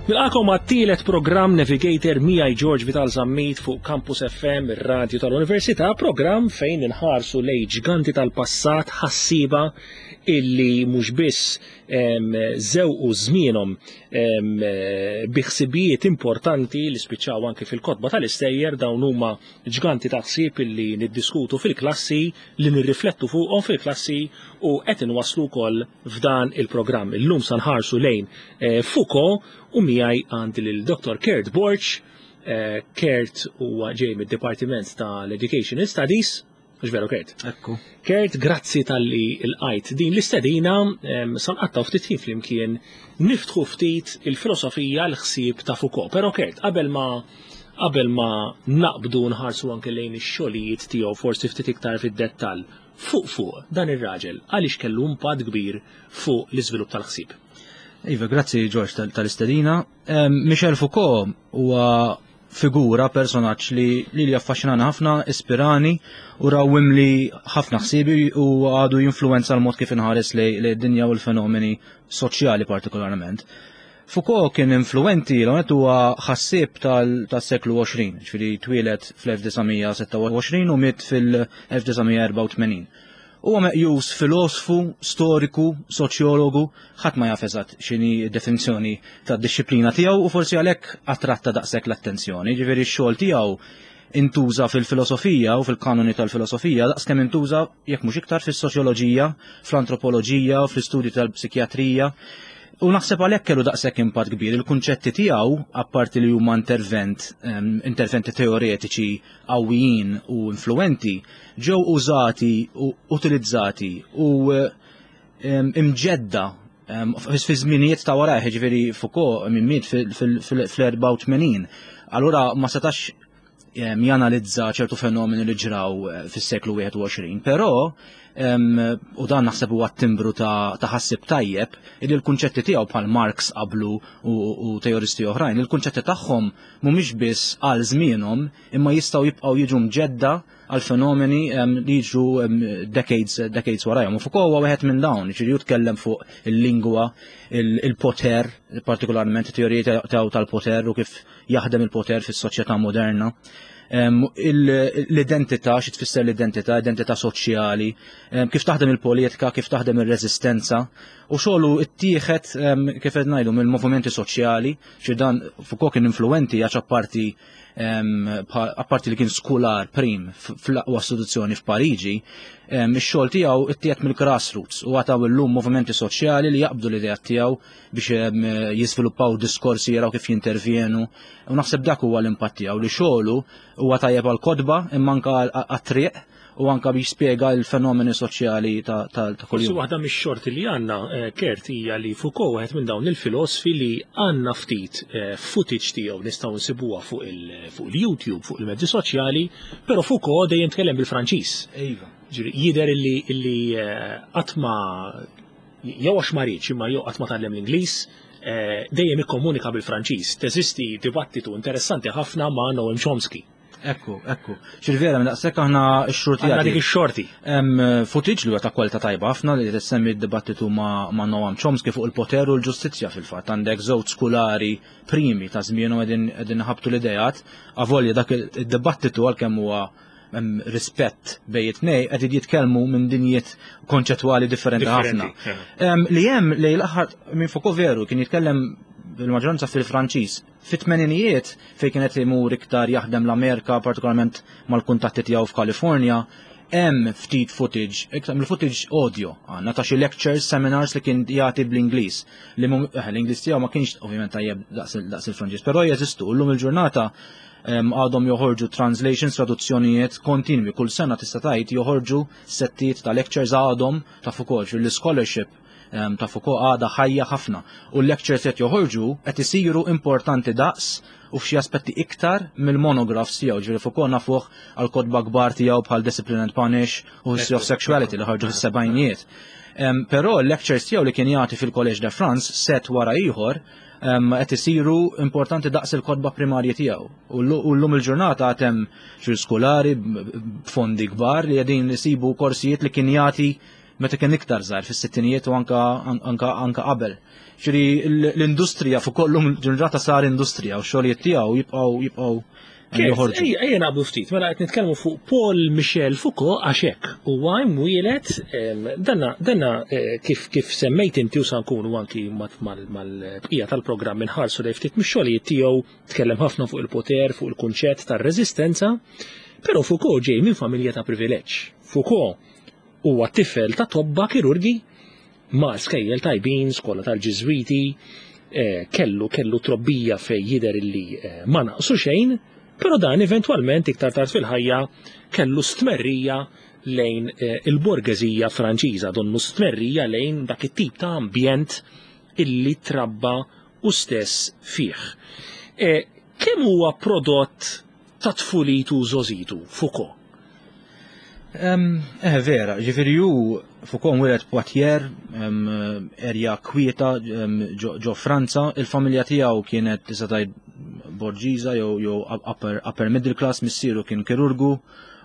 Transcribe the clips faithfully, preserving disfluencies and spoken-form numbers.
Nilqagħkom għat-tielet programm Navigator miegħi George Vital Zammit fuq Campus F M, ir-radju tal-Università, programm fejn inħarsu lejn ġganti tal-passat, ħassiba illi mhux biss żewqu żmienhom bi ħsibijiet importanti li spiċċaw anke fil-kotba tal-istejjer. Dawn huma ġganti ta' ħsieb illi niddiskutu fil-klassi, li nirriflettu fuqhom fil-klassi u qed inwasslu wkoll f'dan il-programm. Illum sa nħarsu lejn eh, Foucault u miegħi għandi lil Doktor Kurt Borch. Eh, Kurt huwa ġej mid-Dipartiment tal-Education Studies. Mhux veru, Kurt? Ekku. Kurt, grazzi talli lqajt din l-istedina. Sa nqattgħu ftit ħin flimkien niftħu ftit il-filosofija, l-ħsieb ta' Foucault. Però Kurt, qabel ma qabel ma naqbdu nħarsu anke lejn ix-xogħlijiet tiegħu forsi ftit iktar fid-dettall, fuq fuq dan ir-raġel għaliex kellu impatt kbir fuq l-iżvilupp tal-ħsieb? Iva, grazzi George tal-istedina. Michel Foucault huwa figura, personaġġ li li li affaxxinani ħafna, ispirani u rawwimli ħafna ħsiebi u għadu jinfluwenza l-mod kif inħares li d-dinja u l-fenomeni soċjali partikolarment. Foucault kien influenti, l huwa ħassieb tal-seklu għoxrin, ġifieri twieled fl-elf disa' mija sitta u għoxrin u miet fil-elf disa' mija erbgħa u tmenin. Huwa meqjus filosfu, storiku, soċjologu, ħadd ma jaf eżatt x'inhi definizzjoni tad-dixxiplina tiegħu u forsi għalhekk attratta daqshekk l-attenzjoni. Ġifieri x-xogħol tiegħu intuża fil-filosofija u fil-kanoni tal-filosofija daqskemm intuża, jekk mhux iktar, fis-soċjoloġija, fl-antropoloġija u fl-istudju tal-psikjatrija. U naħseb għalhekk kellu daqshekk impatt kbir. Il-kunċetti tiegħu, apparti li huma intervent, interventi teoretiċi qawwijin u influenti, ġew użati u utilizzati u imġedda fi żminijiet ta' warajh, ġifieri Foucault minn miet fl-erbgħa u tmenin. Allura ma setax janalizza ċertu fenomeni li ġraw eh, fis-seklu wieħed u għoxrin, però u dan naħseb huwa timbru ta' ħassieb tajjeb illi l-kunċetti tiegħu, bħal Marx qablu u teoristi oħrajn, il-kunċetti tagħhom mhumiex biss għal żmienhom imma jistgħu jibqgħu jiġu mġedda għal fenomeni li jiġu decades, decades warajhom. U Foucault huwa wieħed minn dawn, ġifieri jitkellem fuq il-lingwa, il-poter, partikolarment teorija tiegħu tal-poter u kif jaħdem il-poter fis-soċjetà moderna, l-identità, xi tfisser l-identità, identità soċjali, kif taħdem il-politika, kif taħdem il-reżistenza, u xogħlu ittieħed, kif qed ngħidu, mill-movimenti soċjali, xi dan Foucault kien influenti għax apparti apparti li kien skular prim fl-aqwa istituzzjoni f'Pariġi, ix-xogħol tiegħu ittieħed mill-grassroots u għataw illum movimenti soċjali li jaqbdu l-idea tiegħu biex jiżviluppaw diskorsi, jaraw kif jintervjenu. U naħseb dak huwa l-impatt tiegħu, li xogħlu huwa tajjeb għal kotba imma anke għat-triq u anka biex spjega l-fenomeni soċjali ta' ta' kuljum. Waħda mix-xorti li għandna, eh, Kurt, hija li Foucault wieħed minn dawn il-filosfi li għandna ftit eh, footage tiegħu, nistgħu nsibuha fuq il-YouTube, fuq il-mezzi soċjali, però Foucault dejjem tkellem bil-Franċiż. Iva. Jidher illi illi eh, qatt ma, jew għax ma riedx, imma jew qatt ma tgħallem l-Ingliż, dejjem ikkomunika bil-Franċiż. Teżisti dibattitu interessanti ħafna ma' Noam Chomsky. Ekku, ekku. Ċil-vera, minn daqshekk aħna x-xorti. Għandna dik ix-xorti. Hemm footage li huwa ta' kwalità tajba ħafna li tissemmi d-dibattitu ma' ma' Noam Chomsky fuq il-poter u l-ġustizzja fil-fatt. Għandek żewġ skulari primi ta' żmienu qegħdin qegħdin ħabtu l-idejat, avolja dak id-dibattitu, għalkemm huwa hemm rispett bejn it-tnej, qed jitkellmu minn dinjiet konċettwali differenti ħafna. Differenti. Li hemm li l-aħħar minn Foucault veru kien jitkellem bil-maġġoranza fil-Franċiż. Fit-tmeninijiet, fejn kienet imur iktar jaħdem l-Amerika, partikolarment mal-kuntatti tiegħu f'Kalifornja, hemm ftit footage, iktar mill-footage audio, għandna ta' xi lectures, seminars li kien jagħti bl-Ingliż. Li eh, l-Ingliż tiegħu ma kienx ovvjament tajjeb daqs il-Franċiż, però jeżistu. Llum il-ġurnata għadhom joħorġu translations, traduzzjonijiet kontinwi. Kull sena tista' tgħid joħorġu settijiet ta' lectures għadhom ta' Foucault, l-scholarship ta' Foucault għada ħajja ħafna. U l-lectures qed joħorġu qed isiru importanti daqs u f'xi aspetti iktar mill-monographs tiegħu. Ġifieri Foucault nafuh għal kotba kbar tiegħu bħal Discipline and Punish u History of Sexuality li ħarġu fis-sebgħinijiet. Però l-lectures tiegħu li kien jagħti fil-Collège de France, set wara ieħor, qed isiru importanti daqs il-kotba primarji tiegħu. U llum il-ġurnata għad hemm xi skulari b'fondi kbar li qegħdin isibu korsijiet li kien jagħti meta kien iktar żgħar fis-sittinijiet u anka anka anka qabel. Ġifieri l-industrija fuq kollu ġurnata sar industrija u x-xogħlijiet tiegħu jibqgħu jibqgħu joħorġu. Ejja, ejja naqbdu ftit, mela qed nitkellmu fuq Paul Michel Foucault għax hekk huwa imwielet danna danna eh, kif kif semmejt inti u sa nkunu anki mal-bqija tal-programm inħarsu lejn ftit mix-xogħlijiet tiegħu, tkellem ħafna fuq il-poter, fuq il-kunċett tar-reżistenza, però Foucault ġej minn familja ta' privileġġ. Foucault huwa tifel ta' tobba kirurgi ma' skejjel tajbin, skola tal-Ġiżwiti, eh, kellu kellu trobbija fej jidher illi eh, ma naqsu xejn, però dan eventwalment iktar tard fil-ħajja kellu stmerrija lejn eh, il-borgeżija Franċiża, donnu stmerrija lejn dak it-tip ta' ambjent illi trabba u stess fih. Kemm huwa prodott ta' tfulitu żgħożitu Foucault? Eh, vera, ġifieri ju Foucault mwieled Poitiers, erja kwieta ġo Franza, il-familja tiegħu kienet tista' tgħid borġiża jew jew upper, upper middle class, missieru kien kirurgu,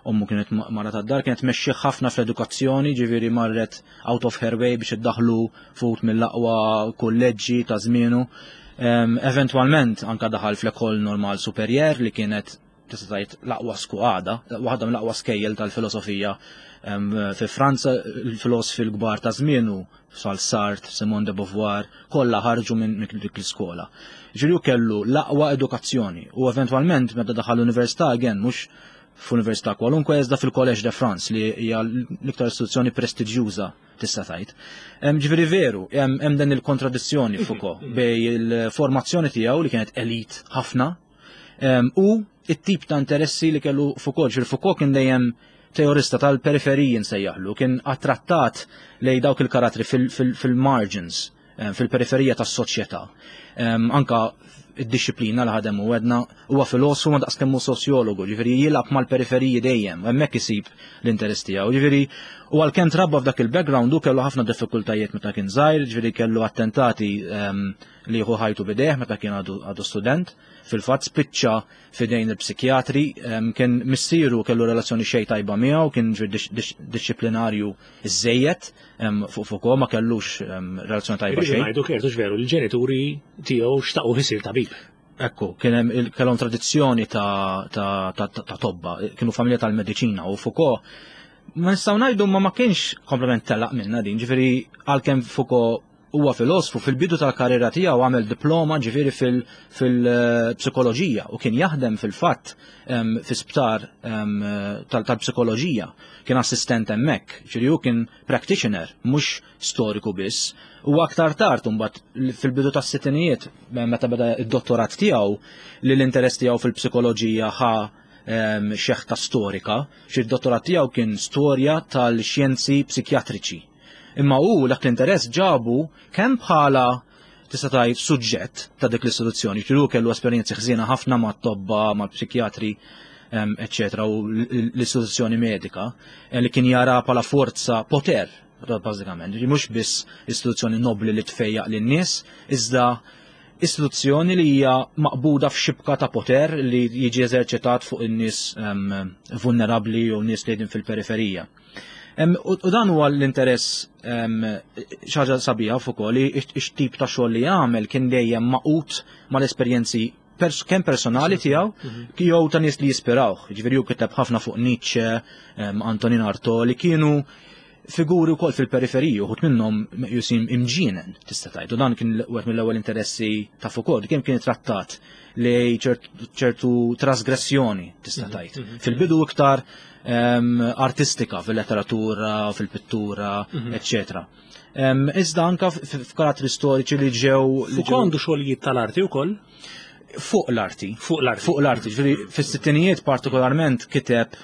ommu kienet mara tad-dar, kienet mexxi ħafna fl-edukazzjoni, ġifieri marret out of her way biex iddaħlu fuq mill-aqwa kolleġġi ta' żmienu. Eventualment anka daħal fl-École Normale Supérieure li kienet tista' tgħid l-aqwa skuada, waħda mill-aqwa skejjel tal-filosofija fi Franza, il-filosofi l-kbar ta' żmienu, bħal Sartre, Simone de Beauvoir, kollha ħarġu minn dik l-iskola. Ġifieri kellu l-aqwa edukazzjoni u eventwalment meta daħal l-università, again, mhux f'università kwalunkwe, iżda fil-Collège de France, li hija l-iktar istituzzjoni prestiġjuża, tista' tgħid. Ġifieri veru, hemm dan il-kontradizzjoni Foucault bejn il-formazzjoni tiegħu li kienet elit ħafna u it-tip ta' interessi li kellu Foucault. Ġifieri Foucault kien dejjem teorista tal-periferiji nsejjaħlu, kien attrattat lej dawk il-karattri fil-margins, fil-periferija tas-soċjetà. Anka id-disciplina li ħadem u għedna huwa filosofu ma daqs kemm hu sosjologu, ġifieri jilgħab mal-periferiji dejjem, u hemmhekk isib l-interess tiegħu. Ġifieri u għalkemm trabba f'dak il-background, hu kellu ħafna diffikultajiet meta kien żgħir, ġifieri kellu attentati li jieħu ħajtu b'idejh meta kien għadu student. Fil-fatt spiċċa fidejn il-psikjatri, kien missieru kellu relazzjoni xejn tajba miegħu, kien disciplinarju iżejjed fuq Foucault, ma kellux relazzjoni tajba xejn. Ngħidu kertu veru, l-ġenituri tiegħu xtaqu isir tabib. Ekku, kien hemm kellhom tradizzjoni ta' ta' ta' tobba, kienu familja tal-mediċina u Foucault ma nistgħu ngħidu ma ma kienx komplement telaq minna din, ġifieri għalkemm Foucault huwa filosofu, fil-bidu tal-karriera tiegħu għamel diploma ġifieri fil-psikoloġija u kien jaħdem fil-fatt fi sptar tal-psikoloġija, kien assistent hemmhekk, ġifieri hu kien practitioner, mhux storiku biss. U aktar tard imbagħad fil-bidu tas-sittinijiet, meta beda id-dottorat tiegħu, li l-interess tiegħu fil-psikoloġija ħa xeħta storika, xi d-dottorat tiegħu kien storja tal-xjenzi psikjatriċi. Imma hu dak l-interess ġabu kemm bħala, tista' tgħid, suġġett ta' dik l-istituzzjoni, ġifieri kellu esperjenzi ħżiena ħafna ma' tobba, ma' psikjatri, eccetera, u l-istituzzjoni medika eh, li kien jara bħala forza poter, bażikament, mhux biss istituzzjoni nobli li tfejjaq lin-nies, iżda istituzzjoni li hija maqbuda f'xibka ta' poter li jiġi eżerċitat fuq in-nies vulnerabbli u nies li fil-periferija. U dan huwa l-interess, xi ħaġa sabiħa fuq li x-tip ta' xogħol li jagħmel kien dejjem magħqud mal-esperjenzi pers kemm personali tiegħu mhm. jew ta' nies li jispirawh. Ġifieri hu kiteb ħafna fuq Nietzsche, Antonin Artaud, li kienu figuri wkoll fil-periferiji, uħud minnhom meqjusin imġienen, tista' tgħid. U dan kien wieħed mill-ewwel interessi ta' Foucault, kien kien trattat li ċertu trasgressjoni, tista' mhm, tgħid. Mhm. Fil-bidu iktar artistika, fil-letteratura, fil-pittura, eccetera. Iżda anka f'karattri storiċi li ġew. Foucault għandu xogħlijiet tal-arti wkoll? Fuq l-arti. Fuq l-arti. Fuq l-arti. Ġifieri fis-sittinijiet partikolarment kiteb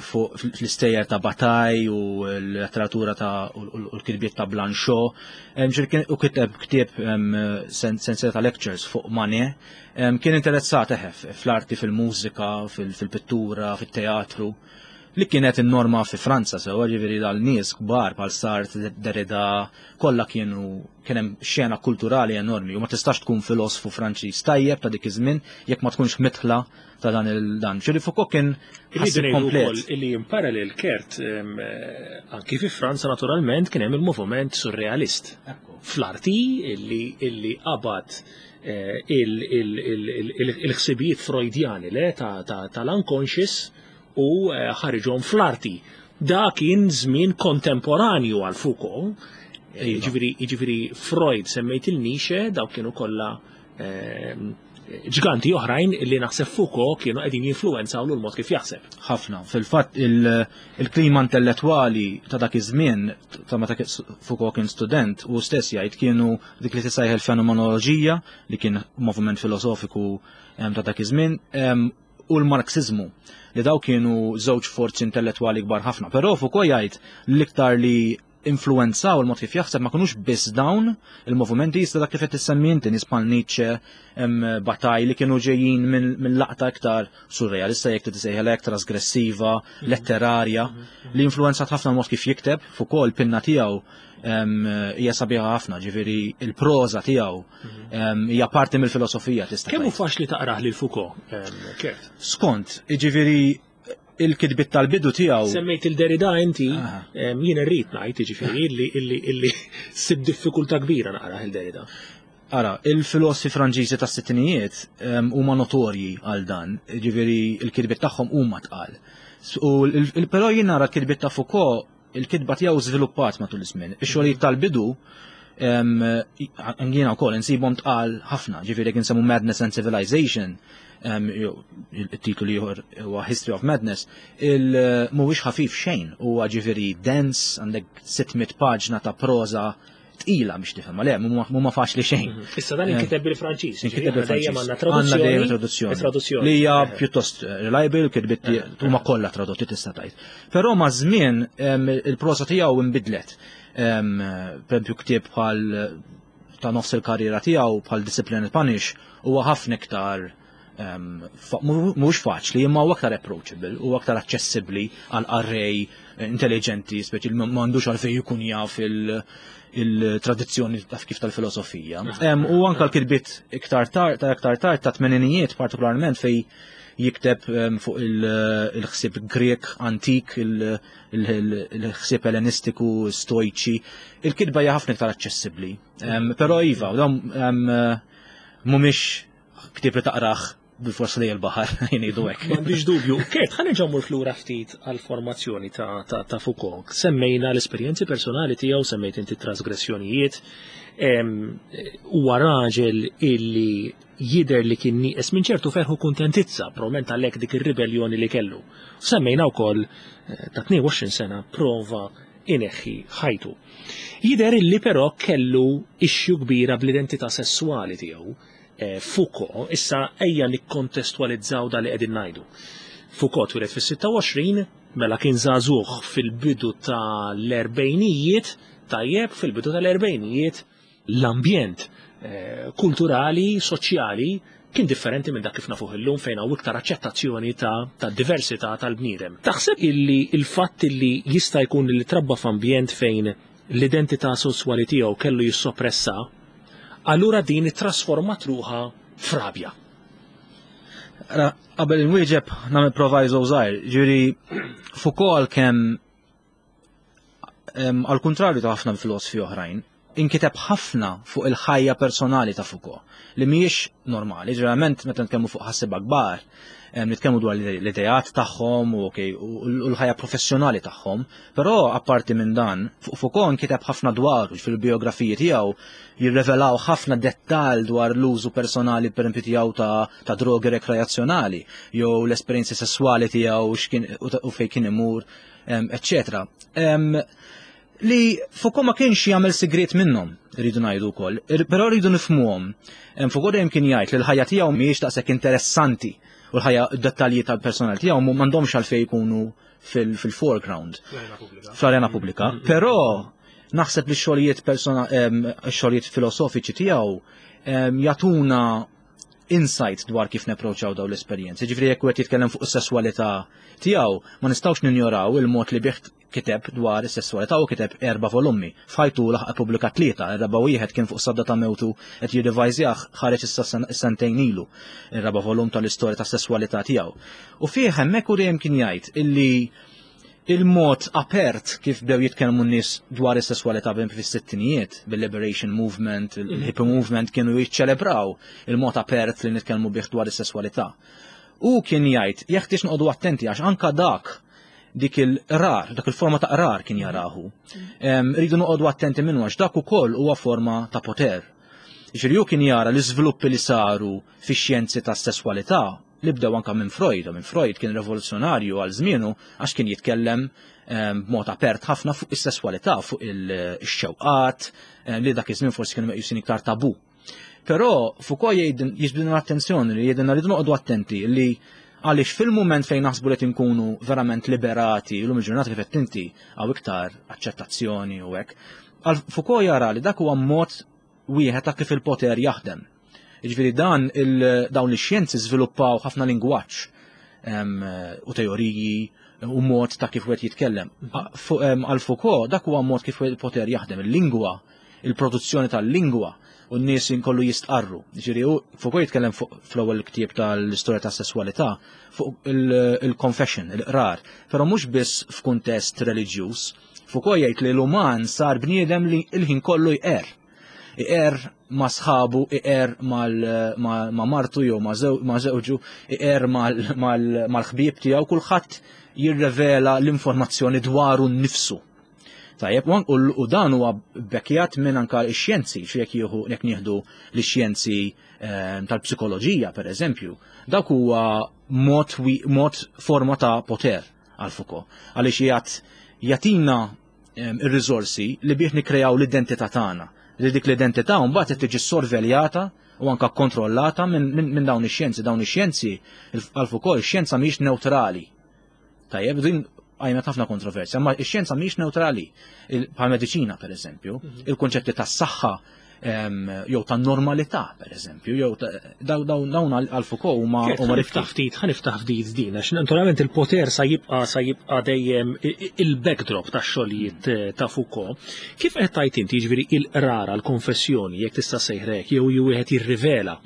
fuq fl-istejjer ta' Bataille u l-letteratura ta' u l-kitbiet ta' Blanchot. U kiteb ktieb, sensiela ta' lectures fuq Manet. Kien interessat eħef fl-arti, fil-mużika, fil-pittura, fil-teatru. Li kienet in-norma fi Franza, sewa, ġifieri dal-nies kbar bħal Sartre, Derrida, kollha kienu, kien hemm xena kulturali enormi u ma tistax tkun filosofu Franċiż tajjeb ta' dik iż-żmien jekk ma tkunx mitħla ta' dan il-dan. Ġifieri Foucault kien Irridu ħassib ngħidu komplet. wkoll illi in parallel, Kurt, em, eh, anki fi Franza naturalment kien hemm il-moviment surrealist fl-arti illi illi qabad eh, il- il- il- il- il-ħsibijiet Freudjani le ta' ta- tal-unconscious u eh, ħariġhom fl-arti. Da kien żmien kontemporanju għal Foucault. Eh, Iva. Jiġifieri jiġifieri Freud, semmejt il-Nietzsche, daw kienu kollha eh, ġganti oħrajn illi naħseb Foucault kienu qegħdin jinfluwenzaw l-mod kif jaħseb. Ħafna. Fil-fatt il- il-klima intellettwali ta' dak iż-żmien ta' meta Foucault kien student u stess jgħid kienu dik li tisajħ il-fenomenoloġija, li kien moviment filosofiku em, ta' dak iż-żmien, em, u l-Marxizmu, li daw kienu żewġ forzi intellettwali kbar ħafna. Però Foucault jgħid l-iktar li influenzaw il-mod kif jaħseb ma kinux biss dawn il-movimenti, jista' dak kif qed tissemmi inti, nies bħal Nietzsche, em, Bataille, li kienu ġejjin minn min laqta iktar surrealista, jekk tisejħel hekk, trasgressiva, letterarja, li influenzat ħafna l-mod kif jikteb. Foucault, il-pinna tiegħu em, hija sabiħa ħafna, ġifieri il-proża tiegħu em, hija parti mill-filosofija, tista' Kemm hu tgħid. faċli taqrah lil Foucault, em, Kurt? Skont, ġifieri il-kitbit tal-bidu tiegħu. Semmejt il-Derrida inti, Aha. em, jien irrid ngħid jiġifieri illi illi illi sib diffikultà kbira naqrah il-Derrida. Ara, il-filosofi Franċiżi tas sittinijiet em, huma notorji għal dan, ġifieri il-kitbiet tagħhom huma tqal. S- U il- il- però jien nara l-kitbiet ta' Foucault, il-kitba tiegħu żviluppat matul iż-żmien. Ix-xogħlijiet tal-bidu em, jiena wkoll insibhom tqal ħafna, ġifieri jekk insemmu Madness and Civilization, em, jew il-titlu ieħor huwa History of Madness, il mhuwiex ħafif xejn, huwa ġifieri dense, għandek sitt mitt paġna ta' proża tqila biex tifhem, le, mhuma faċli xejn. Issa dan inkiteb bil-Franċiż. Inkiteb ġifieri dejjem bil-Franċiż. għandna Għandna dejjem traduzzjoni. traduzzjoni. Traduzzjoni. Li hija Eh. pjuttost eh, reliable, kitbiet huma kollha tradotti, tista' tgħid. Però ma' żmien em, il-prosa tiegħu inbidlet. Em, Per esempio ktieb bħal ta' nofs il-karriera tiegħu bħal Discipline and Punish huwa ħafna iktar em, fa- mu- mhux faċli, imma huwa aktar approachable, huwa aktar aċċessibbli għal qarrej eh, intelligenti, speċi li m'għandux għalfejn jkun jaf il- il-tradizzjoni taf kif tal-filosofija. Em, U anka l-kitbiet iktar tard, ta' iktar tard, ta' tmeninijiet partikolarment, fej jikteb em, fuq il- il-ħsieb Grek antik, il- il- il-ħsieb ellenistiku, stoiċi, il-kitba hija ħafna iktar aċċessibbli. Em, Però iva, dawn em, mhumiex ktieb li taqrah bil-forsa li l-baħar, jgħidu hekk. M'għandix dubju. Kurt, ħa nerġgħu mmur lura ftit għal-formazzjoni ta', ta, ta' Foucault. Semmejna l-esperjenzi personali tiegħu, semmejt inti trasgressjonijiet. Em, Huwa raġel illi jider li kien nieqes minn ċertu ferħu kuntentizza, probablement għalhekk dik ir-ribellioni li kellu. Semmejna wkoll eh, ta' tnejn u għoxrin sena prova ineħħi ħajtu. Jider illi però kellu issue kbira bl-identità sessuali tiegħu. Eh, Foucault, issa ejja nikkontestualizzaw da li qegħdin ngħidu. Foucault twieled fis-sitta u għoxrin, mela kien żagħżugħ fil-bidu tal-erbejnijiet, tajjeb, fil-bidu tal-erbejnijiet l-ambjent eh, kulturali, soċjali kien differenti minn dak kif nafuh illum, fejn hawn iktar aċċettazzjoni ta', ta' diversità tal-bniedem. Taħseb illi il-fatt illi jista' jkun li trabba f'ambjent fejn l-identità sesswali tiegħu kellu jissoppressa, allura din trasformat ruħha f'rabja? Ara, qabel inwieġeb nagħmel proviso żgħir, ġifieri Foucault, għalkemm em, għal kontrarju ta' ħafna filosofi oħrajn, inkiteb ħafna fuq il-ħajja personali ta' Foucault, li mhijiex normali. Ġeneralment meta nitkellmu fuq ħassieba kbar, em, nitkellmu dwar l-ideat tagħhom u okej, u u l-ħajja professjonali tagħhom, però apparti minn dan, fuq Foucault inkiteb ħafna dwaru, fil-biografiji tiegħu jirrevelaw ħafna dettal dwar l-użu personali, per esempio, tiegħu ta', ta' drogi rekreazzjonali, jew l-esperjenzi sessuali tiegħu x'kien u ta- u fejn kien imur, em, eccetera. Em, li Foucault ma kienx jagħmel sigriet minnhom, rridu ngħidu wkoll, Ir- però rridu nifhmuhom. Em, Foucault dejjem kien jgħid li l-ħajja tiegħu mhijiex daqshekk interessanti u l-ħajja, d-dettalji tal-personal tiegħu m'għandhomx għalfejn jkunu fil- fil-foreground, fl-arena pubblika. Però naħseb li xogħlijiet persona em, xogħlijiet filosofiċi tiegħu em, jagħtuna insight dwar kif napproċċjaw daw l-esperjenzi. Ġifieri jekk wieħed jitkellem fuq is-sesswalità tiegħu, ma nistgħux ninjoraw il-mod li bih kiteb dwar is-sesswalità u kiteb erba' volumi. F'ħajtu laħaq ippubblika tlieta, ir-raba' wieħed kien fuq sadda ta' mewtu qed jirrivajżjah, ħareġ issa sentejn ilu, ir-raba' volum tal-istorja tas-sesswalità tiegħu. U fih hemmhekk u dejjem kien jgħid illi il-mod apert kif bdew jitkellmu n-nies dwar is-sesswalità bejn fis-sittinijiet, bil-Liberation Movement, il-Hippie Movement, kienu jiċċelebraw il-mod apert li nitkellmu bih dwar is-sesswalità. U kien jgħid jeħtieġ noqogħdu attenti għax anka dak dik il-rar, dak il-forma ta' qrar kien jarahu. Rridu noqogħdu attenti minnu għax dak ukoll huwa forma ta' poter. Ġifieri hu kien jara l-iżviluppi li saru fix-xjenzi tas-sesswalità li bdew anka minn Freud, minn Freud kien rivoluzzjonarju għal żmienu għax kien jitkellem b'mod apert ħafna fuq is-sesswalità, fuq il-xewqat, li dak iż-żmien forsi kienu meqjusin iktar tabu. Però Foucault jiġbdilna l-attenzjoni li jgħidilna rridu noqogħdu attenti li għaliex fil-mument fejn naħsbu li nkunu verament liberati, l-lum il-ġurnata kif qed inti hawn iktar aċċettazzjoni u hekk. Foucault jara li dak huwa mod wieħed ta' kif il-poter jaħdem. Jiġifieri dan dawn ix-xjenzi żviluppaw ħafna lingwaġġ u teoriji u mod ta' kif wieħed jitkellem. Għal Foucault dak huwa mod kif il-poter jaħdem, il-lingwa, il-produzzjoni tal-lingwa u n-nies inkollu jistqarru. Ġifieri Foucault jitkellem fl-ewwel ktieb tal-istorja tas-sesswalità fuq il-confession, il-qrar, però mhux biss f'kuntest reliġjuż. Foucault jgħid li l-uman sar bniedem li l-ħin kollu jqer. Iqer ma' sħabu, iqer ma' martu jew ma' żewġu, iqer mal-ħbieb tiegħu, kulħadd jirrevela l-informazzjoni dwaru nnifsu. Tajjeb, u dan huwa bekkjat minn anka x-xjenzi, xi jekk jieħu jekk nieħdu l-xjenzi tal-psikoloġija pereżempju, dak huwa mod mod forma ta' poter għal Foucault. Għaliex jgħat jagħtina ir-riżorsi li bih nikkrejaw l-identità tagħna. Li dik l-identità mbagħad qed tiġi sorveljata u anka kontrollata minn min, min dawn ix-xjenzi. Dawn ix-xjenzi għal Foucault ix-xjenza mhijiex neutrali. Tajjeb, din għajmet ħafna kontroversja, ma ix-xjenza mhijiex neutrali. Bħal mediċina pereżempju, il-konċetti tas-saħħa jew tan-normalità pereżempju, jew dawn għal Foucault huma huma niftaħ ftit, ħa niftaħ ftit din, għax naturalment il-poter sa jibqa' sa jibqa' dejjem il-backdrop tax-xogħlijiet ta' Foucault. Kif qed tgħid inti, jiġifieri il-qrara, l-konfessjoni, jekk tista' sejħrek, jew wieħed jirrivela,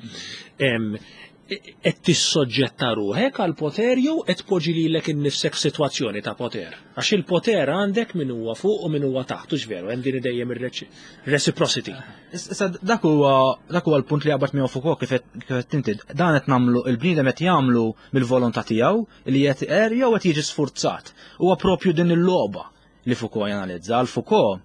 qed tissoġġetta ruħek għal poter jew qed tpoġġi lilek innifsek f'sitwazzjoni ta' poter? Għax il-poter għandek min huwa fuq u min huwa taħt, hux veru, hemm din dejjem ir-reciprocity. Issa dak huwa dak huwa l-punt li qabad miegħu Foucault kif qed inti, dan qed nagħmlu il-bniedem qed jagħmlu mill-volontà tiegħu li qed iqer jew qed jiġi sfurzat. Huwa propju din il-logħba li Foucault janalizza. Għal Foucault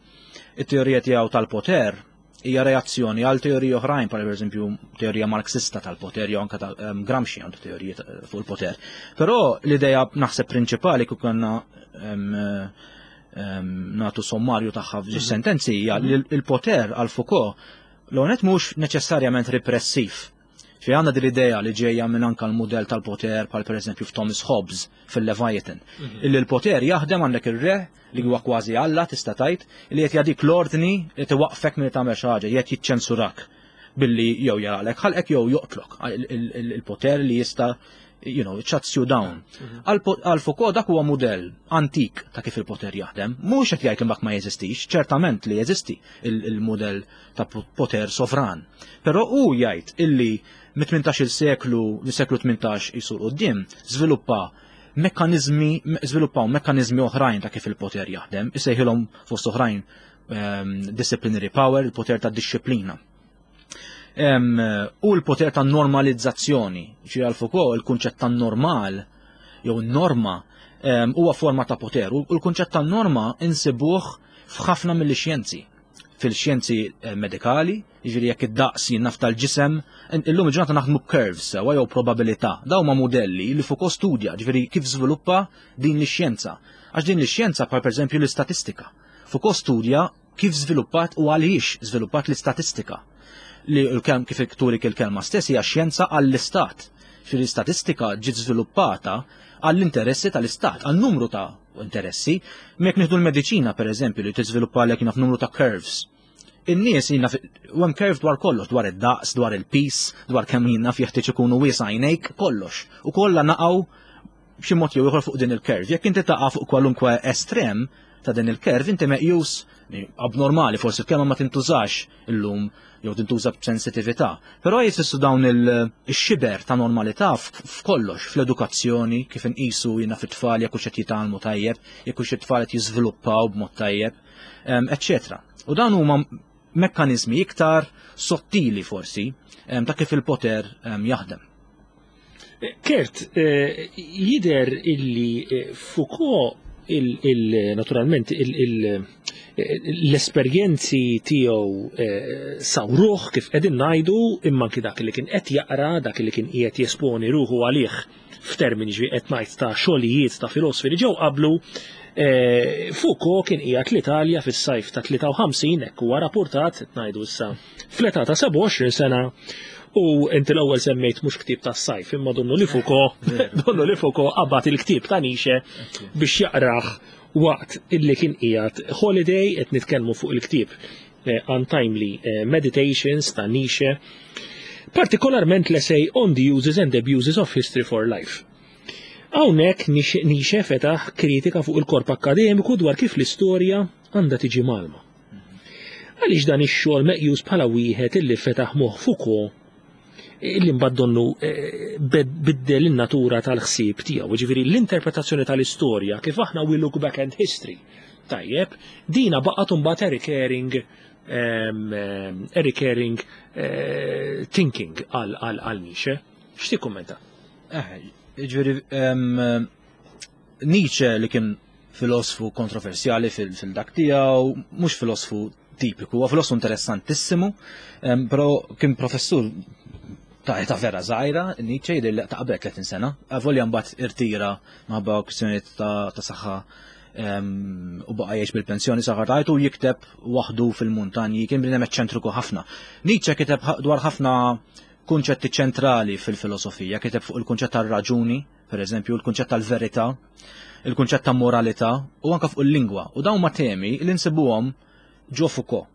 it-teorija tiegħu tal-poter hija reazzjoni għal teoriji oħrajn, bħal pereżempju teorija Marxista tal-poter jew anke ta' Gramsci għandu teoriji fuq il-poter. Però l-idea naħseb prinċipali kif konna nagħtu sommarju tagħha f'ġi sentenzi hija li l-poter għal Foucault l-onet mhux neċessarjament repressiv. Fi għandna din l-idea li ġejja minn anka l-mudell tal-poter bħal pereżempju f'Thomas Hobbes fil-Leviathan. Illi l-poter jaħdem għandek ir-re li huwa kważi Alla tista' tgħid li qed jagħtik l-ordni li tiwaqfek milli tagħmel xi ħaġa, qed jiċċensurak billi jew jaralek ħalqek jew joqtlok. Il-poter li jista' you know, it shuts you down. Għal Foucault dak huwa mudell antik ta' kif il-poter jaħdem. Mhux qed jgħid li ma jeżistix, ċertament li jeżisti il-mudell ta' poter sovran. Però hu jgħid illi mit-tmintax-il seklu, mis-seklu tmintax jisur quddiem, żviluppa mekkanizmi, żviluppaw mekkanizmi oħrajn ta' kif il-poter jaħdem, isejħilhom fost oħrajn disciplinary power, il-poter ta' disċiplina. U l-poter ta' normalizzazzjoni, ġi għal Foucault il-kunċett ta' normal jew norma huwa forma ta' poter, u l-kunċett ta' norma insibuh f'ħafna mill-xjenzi, fil-xjenzi medikali, jiġifieri jekk id-daqs jinnaf tal-ġisem, illum il-ġurnata naħdmu curves sewa jew probabilità, dawn huma mudelli li Foucault studja, ġifieri kif żviluppa din l-xjenza. Għax din l-xjenza bħal pereżempju l-istatistika. Foucault studja kif żviluppat u għaliex żviluppat l-istatistika. Li l-kelm kif turik il-kelma stess hija xjenza għall-istat. Fil-istatistika ġiet żviluppata għall-interessi tal-istat, għal numru ta' interessi. Mek nieħdu l-mediċina pereżempju li tiżviluppa għalhekk naf numru ta' curves. In-nies jien naf u hemm curve dwar kollox, dwar id-daqs, dwar il-piż, dwar kemm jien naf jeħtieġ ikunu wiesa' għajnejk, kollox. U kollha naqgħu b'xi mod jew ieħor fuq din il-curve. Jekk inti taqa' fuq kwalunkwe estrem ta' din il-curve, inti meqjus abnormali, forsi l-kelma ma tintużax illum jew tintuża b'sensitività. Però jesistu dawn il-xiber ta' normalità f'kollox, fl-edukazzjoni, kif inqisu jiena fit-tfal jekk hux qed jitgħallmu tajjeb, jekk hux it-tfal qed jiżviluppaw b'mod tajjeb, eċċetera. U dawn huma mekkanizmi iktar sottili forsi ta' kif il-poter jaħdem. Kurt, eh, jidher illi eh, Foucault il, naturalment l-esperjenzi tiegħu eh, sawruh kif qegħdin ngħidu, imma anki dak li kien qed jaqra, dak li kien qiegħed jesponi ruħu għalih f'termini ġvi qed ngħid ta' xogħlijiet ta' filosofi li ġew qablu. eh, Foucault kien qiegħed l-Italja fis-sajf ta' tlieta u ħamsin, hekk huwa rapportat, qed ngħidu issa fl-età ta' sebgħa u għoxrin sena, u inti l-ewwel semmejt mhux ktieb tas-sajf, imma donnu li Foucault donnu li Foucault qabad il-ktieb ta' Nietzsche biex jaqrah waqt illi kien qiegħed holiday. Qed nitkellmu fuq il-ktieb eh, Untimely eh, Meditations ta' Nietzsche, partikolarment l-essay On the Uses and Abuses of History for Life. Hawnhekk Nietzsche fetaħ kritika fuq il-korp akademiku dwar kif l-istorja għandha tiġi mgħallma. Għaliex dan ix-xogħol meqjus bħala wieħed illi fetaħ moħħ Foucault, illi mbagħad donnu eh, biddel in-natura tal-ħsieb tiegħu, ġifieri l-interpretazzjoni tal-istorja kif aħna we look back at history? Tajjeb, dina baqgħet imbagħad a recurring a recurring eh, thinking għal Nietzsche. X'ti kummenta? Eh, ġifieri Nietzsche li kien filosfu kontroversjali fil-dak tiegħu, mhux filosfu tipiku, huwa filosfu interessantissimu, però kien professur ta' età vera żgħira, Nietzsche jidher ta' qabel tletin sena, avolja mbagħad irtira minħabba kwistjonijiet ta' saħħa u baqa' jgħix bil-pensjoni saħħa tajtu jikteb waħdu fil-muntanji, kien bniedem eċċentriku ħafna. Nietzsche kiteb dwar ħafna kunċetti ċentrali fil-filosofija, kiteb fuq il-kunċett tal-raġuni, per eżempju, il-kunċett tal-verità, il-kunċett ta' moralità u anka fuq il-lingwa. U dawn ma temi li nsibuhom ġo Foucault.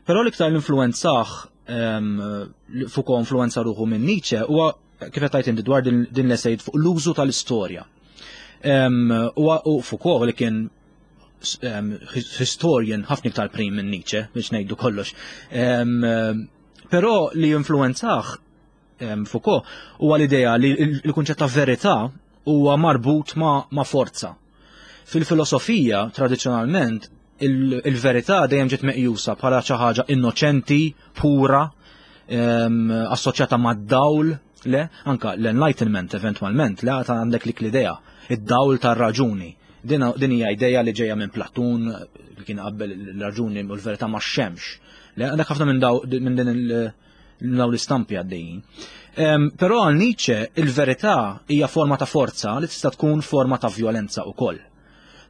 Però l-iktar l-influenzah Foucault influenza ruħu minn Nietzsche huwa kif qed tgħid dwar din l-essay fuq l-użu tal-istorja. U Foucault li kien historian ħafna iktar prim minn Nietzsche, biex ngħidu kollox. Però li influenzah Foucault huwa l-idea li l-kunċett ta' verità huwa marbut ma' forza. Fil-filosofija, tradizzjonalment, il-verità dejjem ġiet meqjusa bħala xi ħaġa innoċenti, pura, assoċjata mad-dawl, le, anka l-Enlightenment eventwalment, le, għata għandek lik l-idea, id-dawl tar-raġuni. Din hija idea li ġejja minn Platun, li kien qabel l-raġuni u l-verità ma' xemx. Le, għandek ħafna minn daw minn din daw l-istampi għaddejjin. Però għal Nietzsche il-verità hija forma ta' forza li tista' tkun forma ta' violenza ukoll.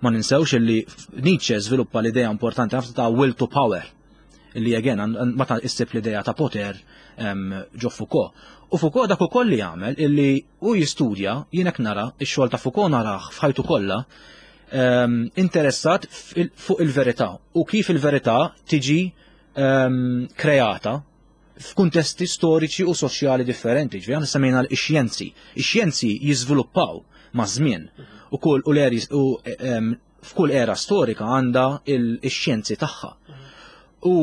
Ma ninsewx li Nietzsche żviluppa l-idea importanti ħafna ta' will to power, illi again meta issib l-idea ta' poter ġo Foucault. U Foucault dak ukoll li jagħmel illi u jistudja, jien hekk nara, ix-xogħol ta' Foucault narah f'ħajtu kollha interessat fuq il-verità u kif il-verità tiġi kreata f'kuntesti storiċi u soċjali differenti. Ġifieri aħna semmejna l-xjenzi. Ix-xjenzi jiżviluppaw ma' żmien u kull u l u f'kull era storika għandha il-xjenzi tagħha. U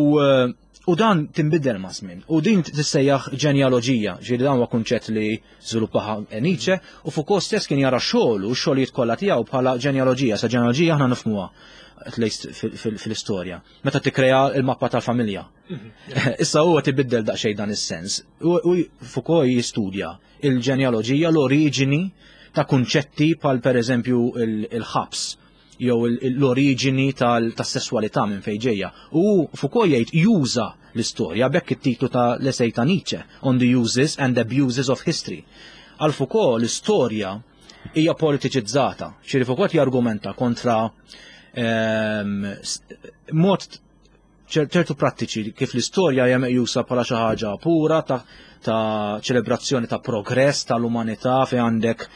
u dan tinbidel ma' żmien. U din tissejjaħ ġenealoġija, ġifieri dan huwa kunċett li żviluppaha Nietzsche u Foucault stess kien jara xogħol u x-xogħlijiet kollha tiegħu bħala ġenealoġija. Sa ġenealoġija aħna nifhmuha at least fil-istorja. Meta tikkrea il-mappa tal-familja. Issa huwa tibiddel daqsxejn dan is-sens. U Foucault jistudja il-ġenealoġija, l-oriġini ta' kunċetti bħal per eżempju il-ħabs jew l-oriġini tas-sesswalità minn fejn ġejja. U Foucault jgħid juża l-istorja, bekk it-titlu ta' l-essay ta' Nietzsche, On the Uses and Abuses of History. Għal Foucault l-istorja hija politiċizzata. Ġifieri Foucault jargumenta kontra ehm, mod ċertu prattiċi kif l-istorja hija meqjusa bħala xi ħaġa pura ta' ta' ċelebrazzjoni ta' progress tal-umanità fejn għandek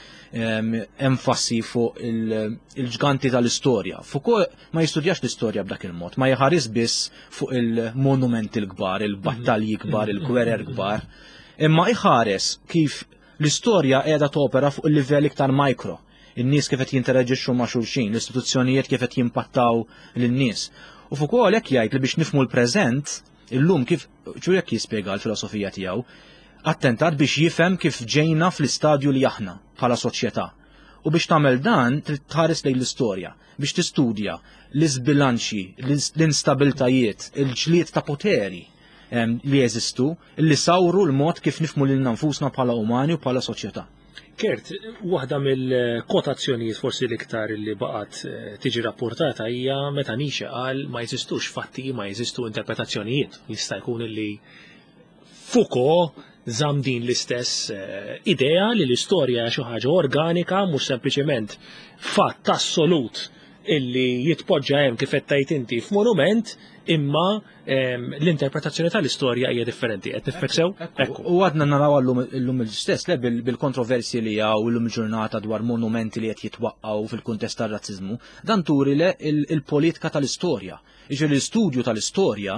enfasi fuq il-ġganti tal-istorja. Foucault ma jistudjax l-istorja b'dak il-mod, ma jħares biss fuq il-monumenti l-kbar, il-battalji kbar, il-gwerer kbar, imma jħares kif l-istorja qiegħda topera fuq il-livell iktar mikro. In-nies kif qed jinteraġixxu ma' xulxin, l-istituzzjonijiet kif qed jimpattaw lin-nies. U Foucault għalhekk jgħid li biex nifhmu l-preżent, illum kif ċu jekk jispjega l-filosofija tiegħu, attentat biex jifhem kif ġejna fl-istadju li aħna bħala soċjetà. U biex tagħmel dan trid tħares lejn l-istorja, biex tistudja l-iżbilanċi, l-instabiltajiet, il-ġlied ta' poteri li jeżistu, li sawru l-mod kif nifhmu lilna nfusna bħala umani u bħala soċjetà. Kurt, waħda mill-kotazzjonijiet forsi l-iktar li baqgħet tiġi rapportata hija meta Nietzsche qal ma jeżistux fatti, ma jeżistu interpretazzjonijiet. Jista' jkun li Foucault żamm din l-istess idea li l-istorja xi ħaġa organika, mhux sempliċement fatt assolut illi jitpoġġa hemm kif qed tgħid inti f'monument, imma l-interpretazzjoni tal-istorja hija differenti. Qed nifhmek sew? U għadna naraw illum l-istess le bil-kontroversji li hawn illum il-ġurnata dwar monumenti li qed jitwaqqgħu fil-kuntest tar-razziżmu. Dan turi le il-politika tal-istorja. Jiġifieri l-istudju tal-istorja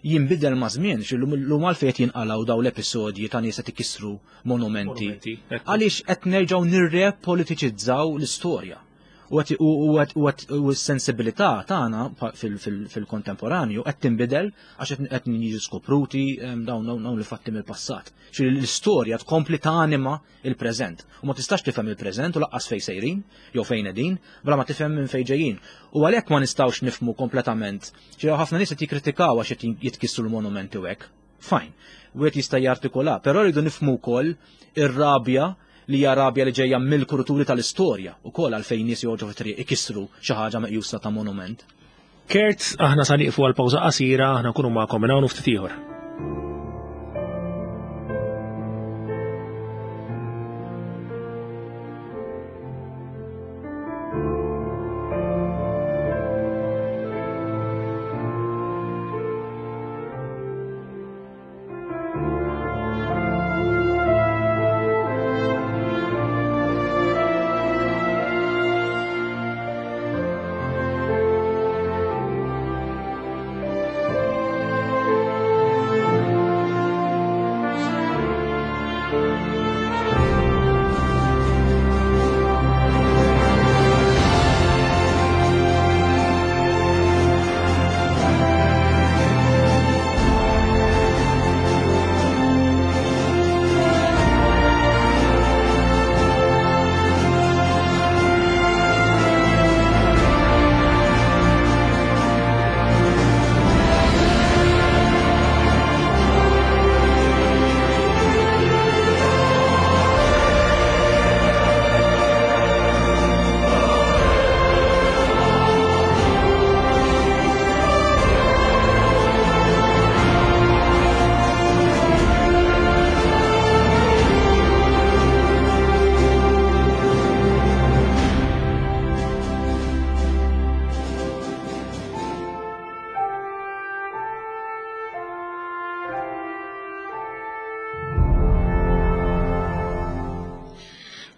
jinbidel ma' żmien, illum għalfejn qed jinqalgħu daw l-episodji ta' nies qed ikissru monumenti. Għaliex qed nerġgħu nirrepolitiċizzaw l-istorja. U s-sensibilità tagħna fil-kontemporanju qed tinbidel għax qed jiġu skopruti dawn dawn li fatti mill-passat. Ġifieri l-istorja tkompli tanima il-preżent. U ma tistax tifhem il-preżent u laqqas fejn sejrin jew fejn qegħdin bla ma tifhem minn fejn ġejjin. U għalhekk ma nistgħux nifhmu kompletament. Ġifieri ħafna nies qed jikkritikaw għax qed jitkissru l-monumenti u hekk. Fajn, wieħed jista' jartikola, però rridu nifhmu wkoll ir-rabja li hija rabja li ġejja mill-kulturi tal-istorja ukoll għalfejn nies joqogħdu fit-triq ikissru xi ħaġa meqjusa ta' monument. Kurt, aħna sa nieqfu għal pawża qasira, aħna nkunu magħkom minn hawn u ftit ieħor.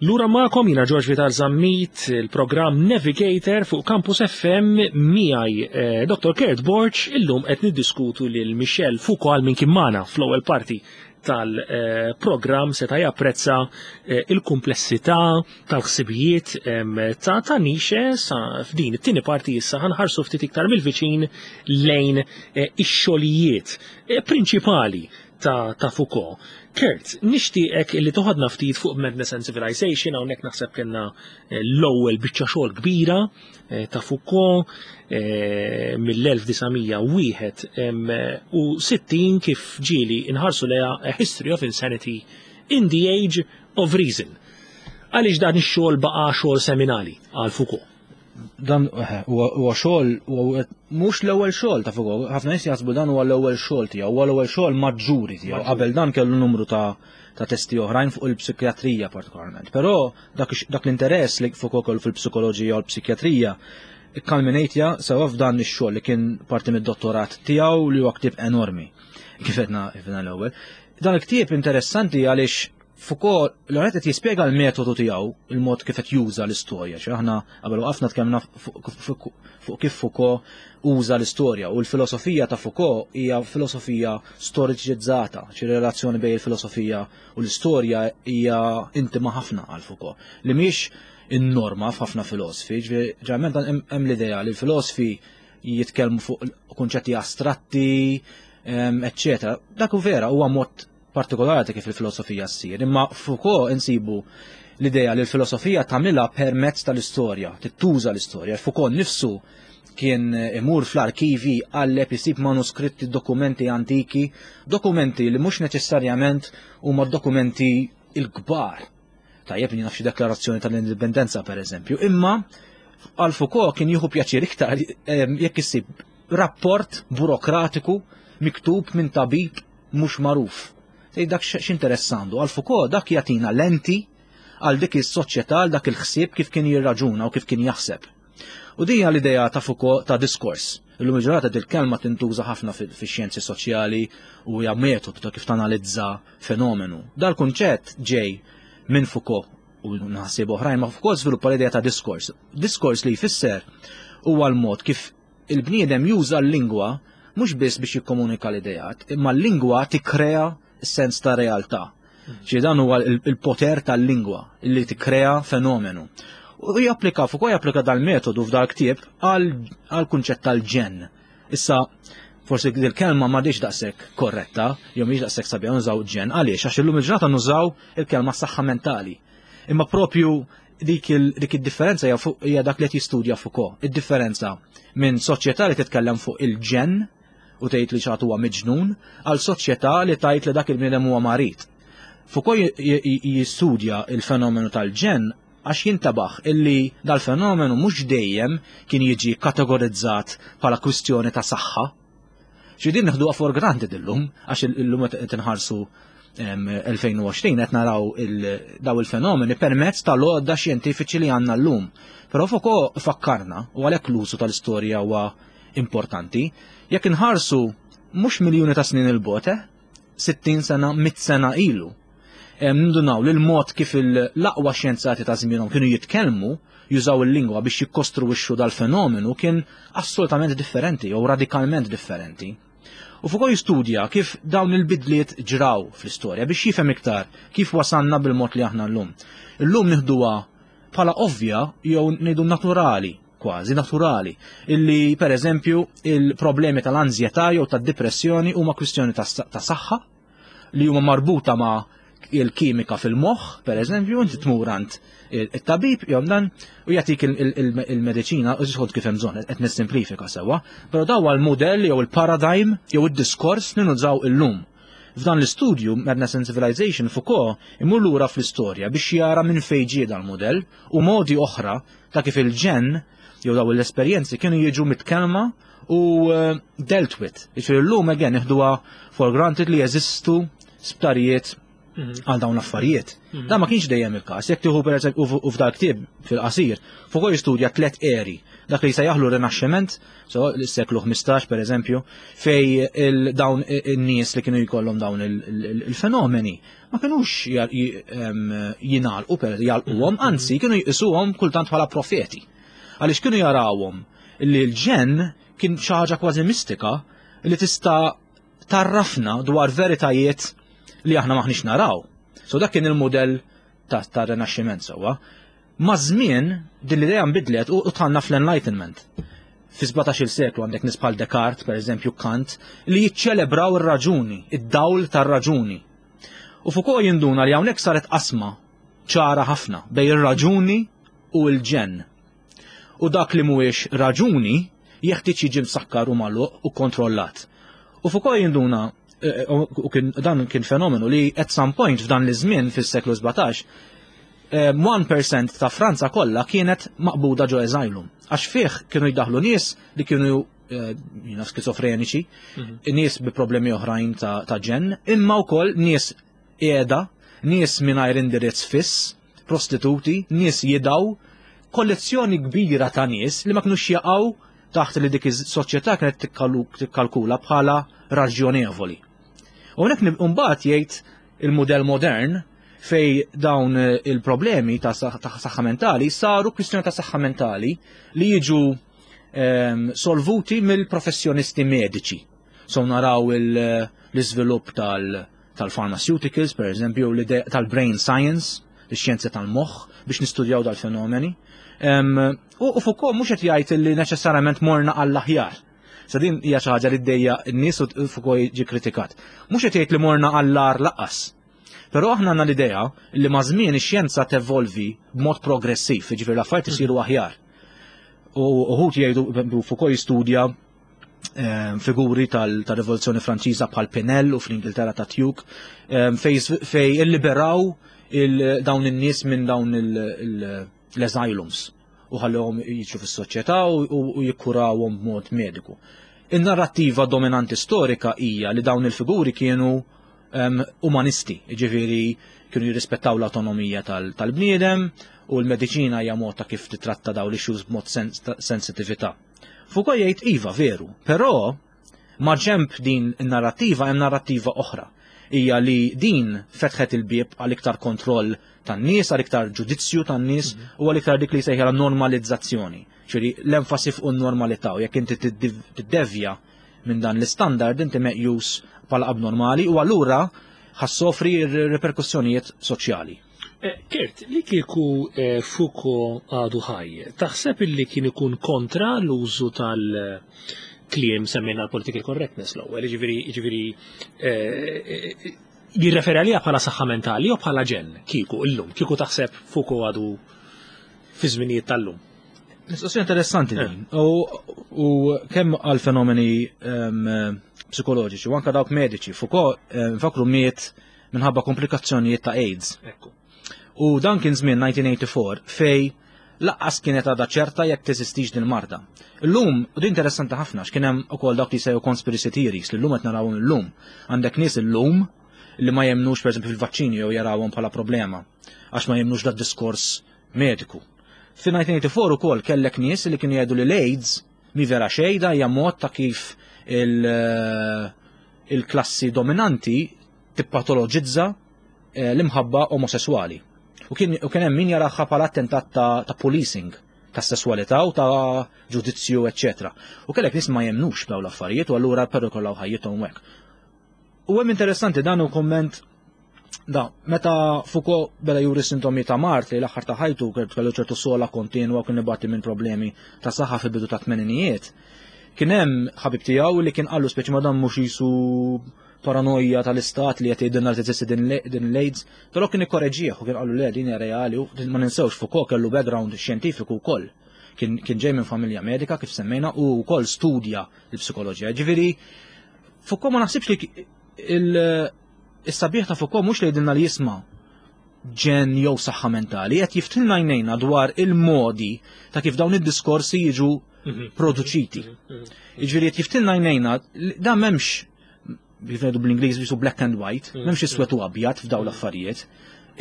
Lura magħkom jiena George Vital Zammit, il-programm Navigator fuq Campus F M miegħi eh, Doctor Kurt Borg. Illum qed niddiskutu lil Michel Foucault għal min kien magħna fl-ewwel parti tal-programm seta' japprezza eh, il-kumplessità tal-ħsibijiet ta' ta' Nietzsche. Sa f'din it-tieni parti issa ħanħarsu ftit iktar mill-viċin lejn eh, ix-xogħlijiet prinċipali ta', ta' Foucault. Kurt, nixtieqek illi toħodna ftit fuq Madness and Civilization, hawnhekk naħseb kellna l-ewwel biċċa xogħol kbira ta' Foucault mill-elf disa' mija wieħed u sittin kif ġieli inħarsu lejha A History of Insanity in the Age of Reason. Għaliex dan ix-xogħol baqa' xogħol seminali għal Foucault? Dan huwa xogħol, mhux l-ewwel xogħol ta' Foucault. Ħafna nies jaħsbu dan huwa l-ewwel xogħol tiegħu, huwa l-ewwel xogħol maġġuri tiegħu. Qabel dan kellu numru ta' ta' testi oħrajn fuq il-psikjatrija partikolarment. Però dak, dak l-interess li Foucault kellu fil-psikoloġija u l-psikjatrija Ikkulminatja sewa f'dan ix-xogħol li kien parti mid-dottorat tiegħu, li huwa ktieb enormi. Kif għedna l-ewwel. Dan il-ktieb interessanti għaliex Foucault l-għanet qed jispjega l-metodu tiegħu, il-mod kif qed juża l-istorja. Xi aħna qabel waqafna tkellmna fuq kif Foucault uża l-istorja, u l-filosofija ta' Foucault hija filosofija storiċizzata, xi relazzjoni bejn il-filosofija u l-istorja hija intima ħafna għal Foucault, li mhix in-norma f'ħafna filosofi. Ġeneralment hemm l-idea li l-filosofi jitkellmu fuq kunċetti astratti, eccetera. Dak vera huwa mod partikolari ta' kif il-filosofija ssir, imma Foucault insibu l-idea li l-filosofija tagħmilha permezz tal-istorja, tittuża l-istorja. Foucault nifsu kien imur fl-arkivi, għalleb isib manuskritti, dokumenti antiki, dokumenti li mhux neċessarjament huma dokumenti il-kbar. Tajjeb, naf xi deklarazzjoni tal-indipendenza, per eżempju, imma għal Foucault kien jieħu pjaċir iktar jekk isib rapport burokratiku miktub minn tabib mhux magħruf. Sej dak x'interessandu, għal Foucault dak jagħtina lenti għal dik is-soċjetà, għal dak il-ħsieb, kif kien jirraġuna u kif kien jaħseb. U din l-idea ta' Foucault ta' diskors. Illum il-ġurnata dil-kelma tintuża ħafna fix-xjenzi soċjali u hija metodu ta' kif tanalizza fenomenu. Dal-kunċett ġej minn Foucault u naħseb oħrajn, ma Foucault żviluppa l-idea ta' diskors. Diskors li jfisser huwa l-mod kif il-bniedem juża l-lingwa mhux biss biex jikkomunika l-idejat, imma l-lingwa tikkrea sens ta' realtà. Ġi dan huwa il-poter tal-lingwa li tikkrea fenomenu. U japplika, Foucault japplika dal-metodu f'dal ktieb għal kunċett tal-ġenn. Issa, forsi il-kelma ma diġ daqshekk korretta, jew mhix daqshekk sabiħa nużaw ġenn, għaliex? Għax illum il-ġurnata nużaw il-kelma saħħa mentali. Imma propju dik id-differenza hija dak li qed jistudja Foucault. Id-differenza minn soċjetà li titkellem fuq il-ġenn u tgħid li xi ħadd huwa miġnun, għal soċjetà li tgħid li dak il-bniedem huwa marid. Foucault jistudja il-fenomenu tal-ġenn għax jintabaħ illi dal-fenomenu mhux dejjem kien jiġi kategorizzat bħala kwistjoni ta' saħħa. Xi din nieħduha for granted illum, għax illum qed inħarsu elfejn u għoxrin, qed naraw daw il-fenomeni permezz tal-għodda xjentifiċi li għandna llum. Però Foucault fakkarna, u għalhekk l-użu tal-istorja huwa importanti, jekk inħarsu mhux miljuni ta' snin il-bote, sittin sena, mitt sena ilu, nindunaw li l-mod kif l-aqwa xjenzati ta' żmienhom kienu jitkellmu, jużaw il-lingwa biex jikkostruwixxu dal-fenomenu, kien assolutament differenti jew radikalment differenti. U Foucault jistudja kif dawn il-bidliet ġraw fl-istorja biex jifhem iktar kif wasanna bil-mod li aħna llum. Illum nieħduha bħala ovvja jew ngħidu naturali, kważi naturali, illi per eżempju il-problemi tal-anzjetà jew tad-depressjoni huma kwistjoni ta' saħħa li huma marbuta ma' il-kimika fil-moħħ, per eżempju, inti tmur għand it-tabib jew dan u jagħtik il-mediċina u tieħu kif hemm bżonn, qed nissimplifika sewwa, però daw l-mudell jew il-paradigm jew id-diskors li nużaw illum. F'dan l-istudju Madness and Civilization, Foucault imur lura fl-istorja biex jara minn fejn ġie dal-mudell u modi oħra ta' kif il-ġenn jew daw l-esperjenzi kienu jiġu mitkellma u eh, dealt with. Jiġifieri llum again nieħduha for granted li jeżistu sptarijiet mhm. għal dawn l-affarijiet. Mhm. Dan ma kienx dejjem il-każ. Jekk tieħu, pereżempju, u f'dal ktieb fil-qasir, Foucault jistudja tliet eri. Dak li jsejjaħlu Rinaxximent, so l-seklu ħmistax per eżempju, fej dawn in-nies li kienu jkollhom dawn il-fenomeni ma kienux jingħalqu per jgħalquhom, mhm. anzi kienu jqisuhom kultant bħala profeti. Għaliex kienu jarawhom li l-ġenn kien xi ħaġa kważi mistika li tista' tarrafna dwar veritajiet li aħna maħniex naraw. So dak kien il-modell ta', ta Rinaxximent sewwa. Ma' żmien din l-idea nbidlet u dħalna fl-Enlightenment. Fi sbatax-il seklu għandek nies bħal Descartes, per eżempju Kant, li jiċċelebraw ir-raġuni, id-dawl tar-raġuni. U Foucault jinduna li hawnhekk saret qasma ċara ħafna bejn ir-raġuni u l-ġenn. U dak li mhuwiex raġuni jeħtieġ jiġi msakkar u magħluq u kontrollat. U Foucault jinduna eh, u kien dan kien fenomenu li at some point f'dan l-żmien fis-seklu sbatax, wieħed fil-mija ta' Franza kollha kienet maqbuda ġo asylum. Għax fih kienu jdaħlu nies li kienu eh, jina skizofreniċi, mhm. nies bi problemi oħrajn ta' ġenn, imma wkoll nies qiegħda, nies mingħajr indirizz fiss, prostituti, nies jidaw, kollezzjoni kbira ta' nies li ma kinux jaqgħu taħt li dik is-soċjetà kienet tikkalkula bħala raġjonevoli. U hawnhekk mbagħad jgħid il-mudell modern fej dawn il-problemi ta' saħħa mentali saru kwistjoni ta' saħħa mentali li jiġu ehm, solvuti mill-professjonisti mediċi. So naraw l-iżvilupp tal-pharmaceuticals, per eżempju, tal-brain science, l-xjenza tal-moħħ, biex nistudjaw dal-fenomeni. Ehm, u Foucault mhux qed jgħid li neċessarjament morna għall-aħjar. Sa din hija xi ħaġa li ddejjaq in-nies u Foucault jiġi kritikat. Mhux qed jgħid li morna għall-agħar lanqas. Però aħna għandna l-idea li ma' żmien ix-xjenza tevolvi b'mod progressiv, jiġifieri l-affarijiet isiru aħjar. U uħud jgħidu, Foucault jistudja ehm, figuri tal-Rivoluzzjoni Franċiża bħal Pinel u fl-Ingilterra ta' Tuke, ehm, fej illiberaw dawn in-nies minn dawn l-asylums u ħallewhom jiġu fis-soċjetà u jikkurawhom b'mod mediku. In-narrattiva dominanti storika hija li dawn il-figuri kienu umanisti, ġifieri kienu jirrispettaw l-autonomija tal-bniedem u l-mediċina hija mod ta' kif titratta dawn l-issues b'mod sensitività. Foucault jgħid iva veru, però ma ġemp din in-narrattiva hemm narrattiva oħra. Hija li din fetħet il-bieb għal iktar kontroll tan-nies, għal iktar ġudizzju tan-nies mhm. u għal iktar dik li sejħa normalizzazzjoni. Ċiri l-enfasi fuq normalità u jekk inti tiddevja minn dan l-istandard, inti meqjus bħala abnormali u allura ħa ssofri reperkussjonijiet soċjali. Eh, Kurt, li kieku eh, Foucault għadu ħaj, taħseb illi kien ikun kontra l-użu tal-kliem, semmejna l-political correctness l-ewwel, ġifieri ġifieri eh, jirreferi għalija bħala saħħa mentali jew bħala ġenn, kieku illum, kieku taħseb Foucault għadu fi żminijiet tal-lum? Mistoqsija interessanti din. U, u kemm għal fenomeni em, psikoloġiċi u anka dawk mediċi. Foucault em, fakru miet minħabba komplikazzjonijiet ta' AIDS. Ekku. U dan kien żmien elf disa' mija u erbgħa u tmenin fej lanqas kienet għadha ċerta jekk teżistix din marda. Illum, u din interessanti ħafna, x'kien hemm ukoll dawk li sejħu conspiracy theories li llum qed narawhom illum. Għandek nies illum li ma jemnux, pereżempju, fil-vaċċini jew jarawhom bħala problema għax ma jemnux dat diskors mediku. Fi elf disa' mija u erbgħa u tmenin ukoll kellek nies li kienu jgħidu li l-AIDS mi vera xejda, hija mod ta' kif il- il-klassi dominanti tippatologizza eh, l-imħabba omosessuali. U kien u kien hemm min jaraha bħala attentat ta', ta' policing ta' sessualità u ta' ġudizzju, eċċetera. U kellek nies ma jemnux b'dawn l-affarijiet u allura perikolaw ħajjithom hekk. U hemm interessanti dan hu komment da, meta Foucault beda juri sintomi ta' mard li l-aħħar ta' ħajtu kellu ċertu sogħla kontinwa u kien ibati minn problemi ta' saħħa fil-bidu ta' tmeninijiet. Kien hemm ħabib tiegħu li kien qallu speċi ma dan mhux jisu paranoja tal-istat li qed jgħidilna li teżisti din din l-AIDS, però kien ikkoreġih u kien qallu le, din hija reali. U ma ninsewx, Foucault kellu background xjentifiku wkoll. Kien, kien ġej minn familja medika, kif semmejna, u wkoll studja l-psikoloġija. Ġifieri Foucault ma naħsibx li il- is-sabiħ ta' Foucault mhux li jgħidilna li jisma' ġenn jew saħħa mentali, qed jiftħilna għajnejna dwar il-modi ta' kif dawn id-diskorsi jiġu produċiti. Jiġifieri qed jiftħilna għajnejna da m'hemmx, kif ngħidu bl-Ingliż jisu black and white, m'hemmx iswed u abjad f'dawn l-affarijiet.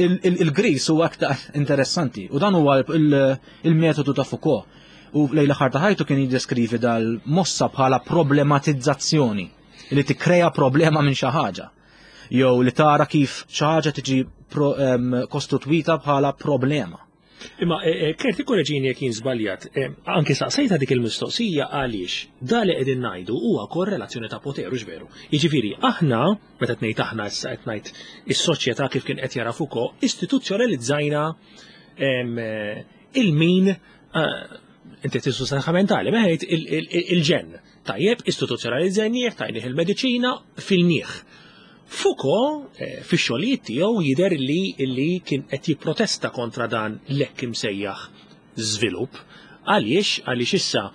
Il-gris huwa aktar interessanti u dan huwa il-metodu ta' Foucault. U lejn l-aħħar ta' ħajtu kien jiddeskrivi dal-mossa bħala problematizzazzjoni, li tikkrea problema minn xi ħaġa. Jew li tara kif xi ħaġa tiġi kostrutwita bħala problema. Imma, eh, eh, Kurt, ikkoreġini jekk jien żbaljat, eh, anki saqsejta dik il-mistoqsija għaliex da li qegħdin ngħidu huwa korrelazzjoni ta' poter, hux veru? Jiġifieri aħna, meta ngħid aħna issa qed ngħid is-soċjetà kif kien qed jara Foucault, istituzzjonalizzajna il-min inti tisu saħħa mentali, ma il-ġenn. Tajjeb, istituzzjonalizzajnieh, tajnieh il-mediċina, fil-nieħ. Foucault eh, fix-xogħlijiet tiegħu jidher li li kien qed jipprotesta kontra dan l-hekk imsejjaħ żvilupp. Għaliex? Għaliex issa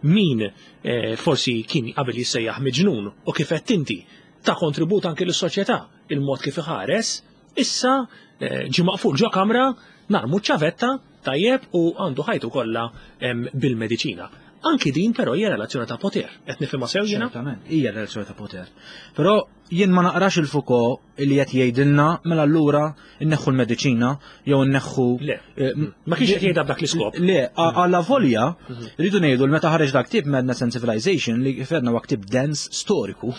min eh, forsi kien qabel jissejjaħ miġnun u, kif qed inti, ta' kontribut anke lis-soċjetà il-mod kif iħares, issa eh, ġi maqful ġo kamra, narmu ċavetta, tajjeb, u għandu ħajtu kollha bil-mediċina. Anki din però hija relazzjoni ta' poter. Qed nifhimha sew jiena? Ċertament, hija relazzjoni ta' poter. Però jien ma naqrax il-Foucault li qed jgħidilna mela allura nneħħu l-mediċina jew nneħħu Le. eh, Ma kienx qed jgħidha b'dak l-iskop. Le, għalla volja, rridu ngħidu l meta ħareġ dak ktieb Madness and Civilization li kif għedna huwa ktieb dens storiku.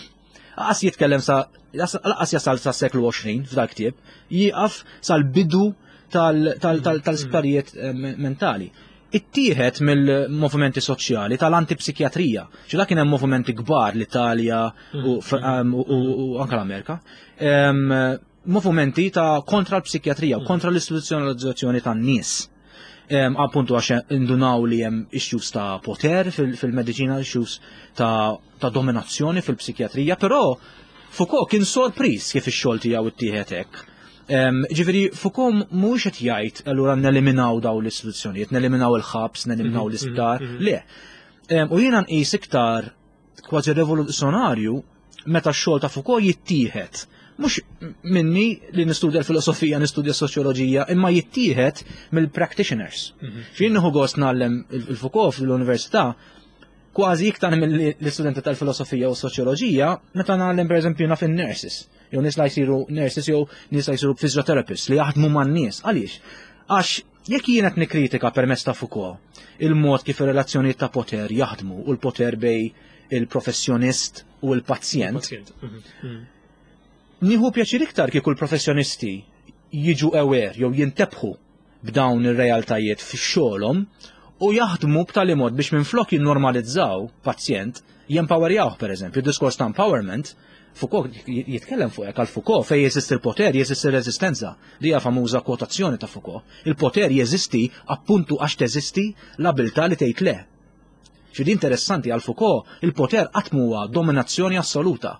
Qas jitkellem sa qas jasal sa seklu għoxrin f'dak ktieb, jieqaf sal-bidu tal-isptarijiet eh, mentali. Ittieħed mill-movimenti soċjali tal-antipsikjatrija. Ċi dak kien hemm movimenti kbar l-Italja u fr- em, u- u u anke l-Amerika. Em, Movimenti ta' kontra l-psikjatrija u kontra l-istituzzjonalizzazzjoni tan-nies. Em, Appuntu għax indunaw li hemm issues ta' poter fil- fil-mediċina, issues ta', ta' dominazzjoni fil-psikjatrija, però Foucault kien sorpriż kif ix-xogħol tiegħu ittieħed hekk. Em, Ġifieri Foucault mhux qed jgħid allura neliminaw daw l-istituzzjonijiet, neliminaw il-ħabs, neliminaw l-isptar, le. Em, U jiena nqis iktar kważi rivoluzzjonarju meta x-xogħol ta' Foucault jittieħed. Mhux minni li nistudja l-filosofija, nistudja s-soċjoloġija, imma jittieħed mill-practitioners. Jien nieħu gost ngħallem il-Foucault fl-università, kważi iktar mill-istudenti tal-filosofija u soċjoloġija, meta ngħallem pereżempju naf in-nurses, jew nies li jsiru nurses jew nies li jsiru physiotherapists li jaħdmu man-nies. Għaliex? Għax jekk jien qed nikkritika permezz ta' Foucault il-mod kif ir-relazzjonijiet ta' poter jaħdmu u l-poter bejn il-professjonist u l-pazjent, Pazjent. Mhm, mhm. nieħu pjaċir iktar kieku l-professjonisti jiġu aware jew jintebħu b'dawn ir-realtajiet fix-xogħolhom u jaħdmu b'tali mod biex minflok jinnormalizzaw pazjent jempowerjawh, pereżempju. Diskors ta' empowerment, Foucault jitkellem fuq hekk. Għal Foucault, fejn jeżisti l-poter jeżisti r-reżistenza. Li hija famuża kwotazzjoni ta' Foucault. Il-poter jeżisti appuntu għax teżisti l-abilità li tgħid le. Ġifieri interessanti, għal Foucault il-poter qatt huwa dominazzjoni assoluta.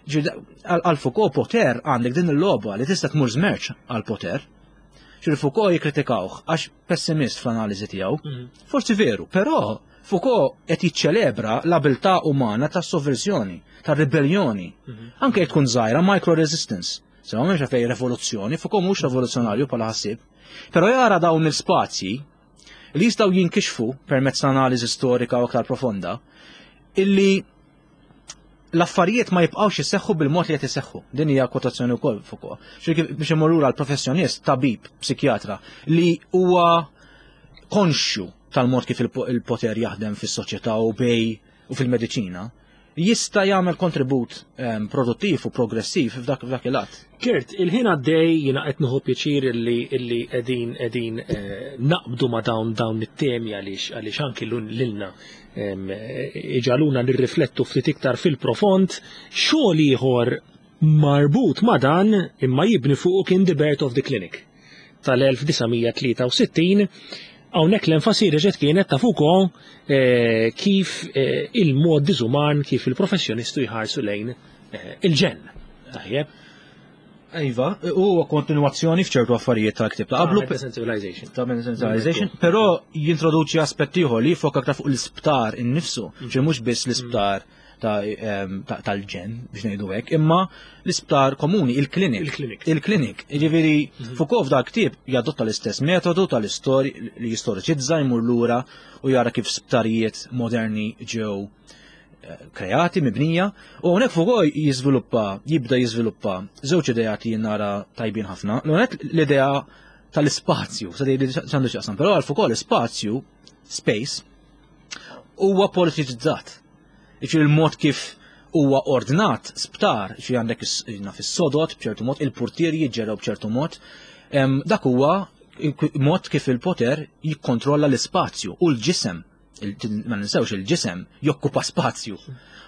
Ġifieri, għal Foucault poter għandek din il-logħba li tista' tmur żmerċ għal poter. Ġifieri Foucault jikkritikawh għax pessimist fl-analiżi tiegħu. Mhm. Forsi veru, però Foucault qed jiċċelebra l-abilità umana ta' sovversjoni, ta' ribellioni. Mhm. Anke jekk tkun żgħira, micro resistance. Sewa mhux fejn rivoluzzjoni, Foucault mhux rivoluzzjonarju bħala ħassieb. Però jara dawn l-spazji li jistgħu jinkixfu permezz ta' analiżi storika u aktar profonda illi l-affarijiet ma jibqgħux jisseħħu bil-mod li qed iseħħu. Din hija kwotazzjoni wkoll Foucault. Ġifieri biex imur lura l-professjonist, tabib, psikjatra li huwa konxju tal-mod kif il-po- il-poter jaħdem fis-soċjetà u bejn u fil-mediċina, jista' jagħmel kontribut em, produttiv u progressiv f'dak f'dak il-att. Kurt, il-ħin għaddej, jiena qed nieħu pjaċir illi illi qegħdin qegħdin eh, naqbdu ma' dawn dawn it-temi għaliex għaliex anki lun- lilna em, eh, iġagħluna nirriflettu ftit iktar fil-profond. Xogħol ieħor marbut ma' dan imma jibni fuq kien The Birth of the Clinic tal-elf disa' mija tlieta u sittin. Hawnhekk l-enfasi reġgħet kienet ta' Foucault, eh, kif eh, il-mod diżuman kif il-professjonistu jħarsu lejn eh, il-ġenn. Tajjeb. Iva, huwa kontinuazzjoni f'ċertu affarijiet tal-ktieb ta' qablu. Madness and Civilization. Ta' Civilization, però jintroduċi aspetti ieħor li jiffoka aktar fuq l-isptar innifsu, ġi mhux biss l-isptar ta' em, ta- tal-ġenn biex ngħidu hekk, imma l-isptar komuni, il-klinik. Il-klinik. Il-klinik. Ġifieri Foucault f'dak ktieb jadotta l-istess metodu tal-istorja li jistoriċizza, jmur lura u jara kif sptarijiet moderni ġew eh, kreati, mibnija, u hawnhekk Foucault jiżviluppa, jibda jiżviluppa żewġ ideat li jien nara tajbin ħafna. L-għonet l-idea tal-ispazju, sa li għandu x'jaqsam, però għal Foucault l-ispazju, space, huwa politiċizzat. Ġifieri il-mod kif huwa ordnat sptar, ġifieri għandek is- naf is-sodod b'ċertu mod, il-portieri jiġġeraw b'ċertu mod, em, dak huwa mod kif il-poter jikkontrolla l-ispazju u l-ġisem. Il- Ma ninsewx il-ġisem jokkupa spazju.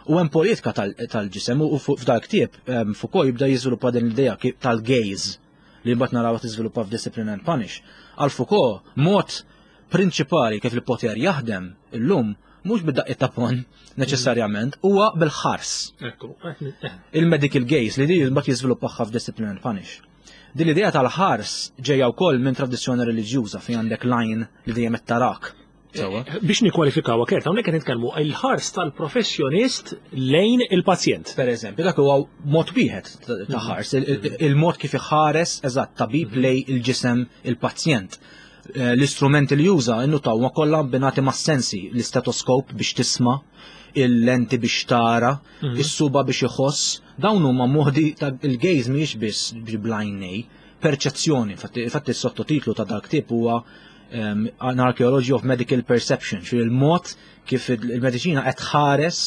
U hemm politika tal- tal-ġisem u fu- f'dak ktieb em, Foucault jibda jiżviluppa din l-idea ki- tal-gaze li mbagħad naraw tiżviluppa f'Discipline and Punish. Għal Foucault, mod prinċipali kif il-poter jaħdem illum mhux bid-daqqiet ta' ponn neċessarjament, huwa bil-ħars. Ekku, eh, Il-medical gaze li di mbagħad jiżviluppaha f'Discipline and Punish. Din l-idea tal-ħars ġejja wkoll minn tradizzjoni reliġjuża fejn għandek l-għajn li dejjem qed tarak. Sewwa. Biex nikwalifikaw, Kurt, hawnhekk qed nitkellmu il-ħars tal-professjonist lejn il-pazjent. Per eżempju, dak huwa mod wieħed ta' ta' ħars, il- il- il-mod kif iħares eżatt tabib lejn il-ġisem il-pazjent. Eh, L-istrumenti li juża innutaw ma kollha abbinati mas-sensi, l-istetoskop biex tisma', il-lenti biex tara, is-suba biex iħoss, dawn huma modi ta' il-gaze mhijiex biss blind, perċezzjoni. Infatti infatti s-sottotitlu ta' dak ktieb huwa um, An Archaeology of Medical Perception, xi il-mod kif il-mediċina qed tħares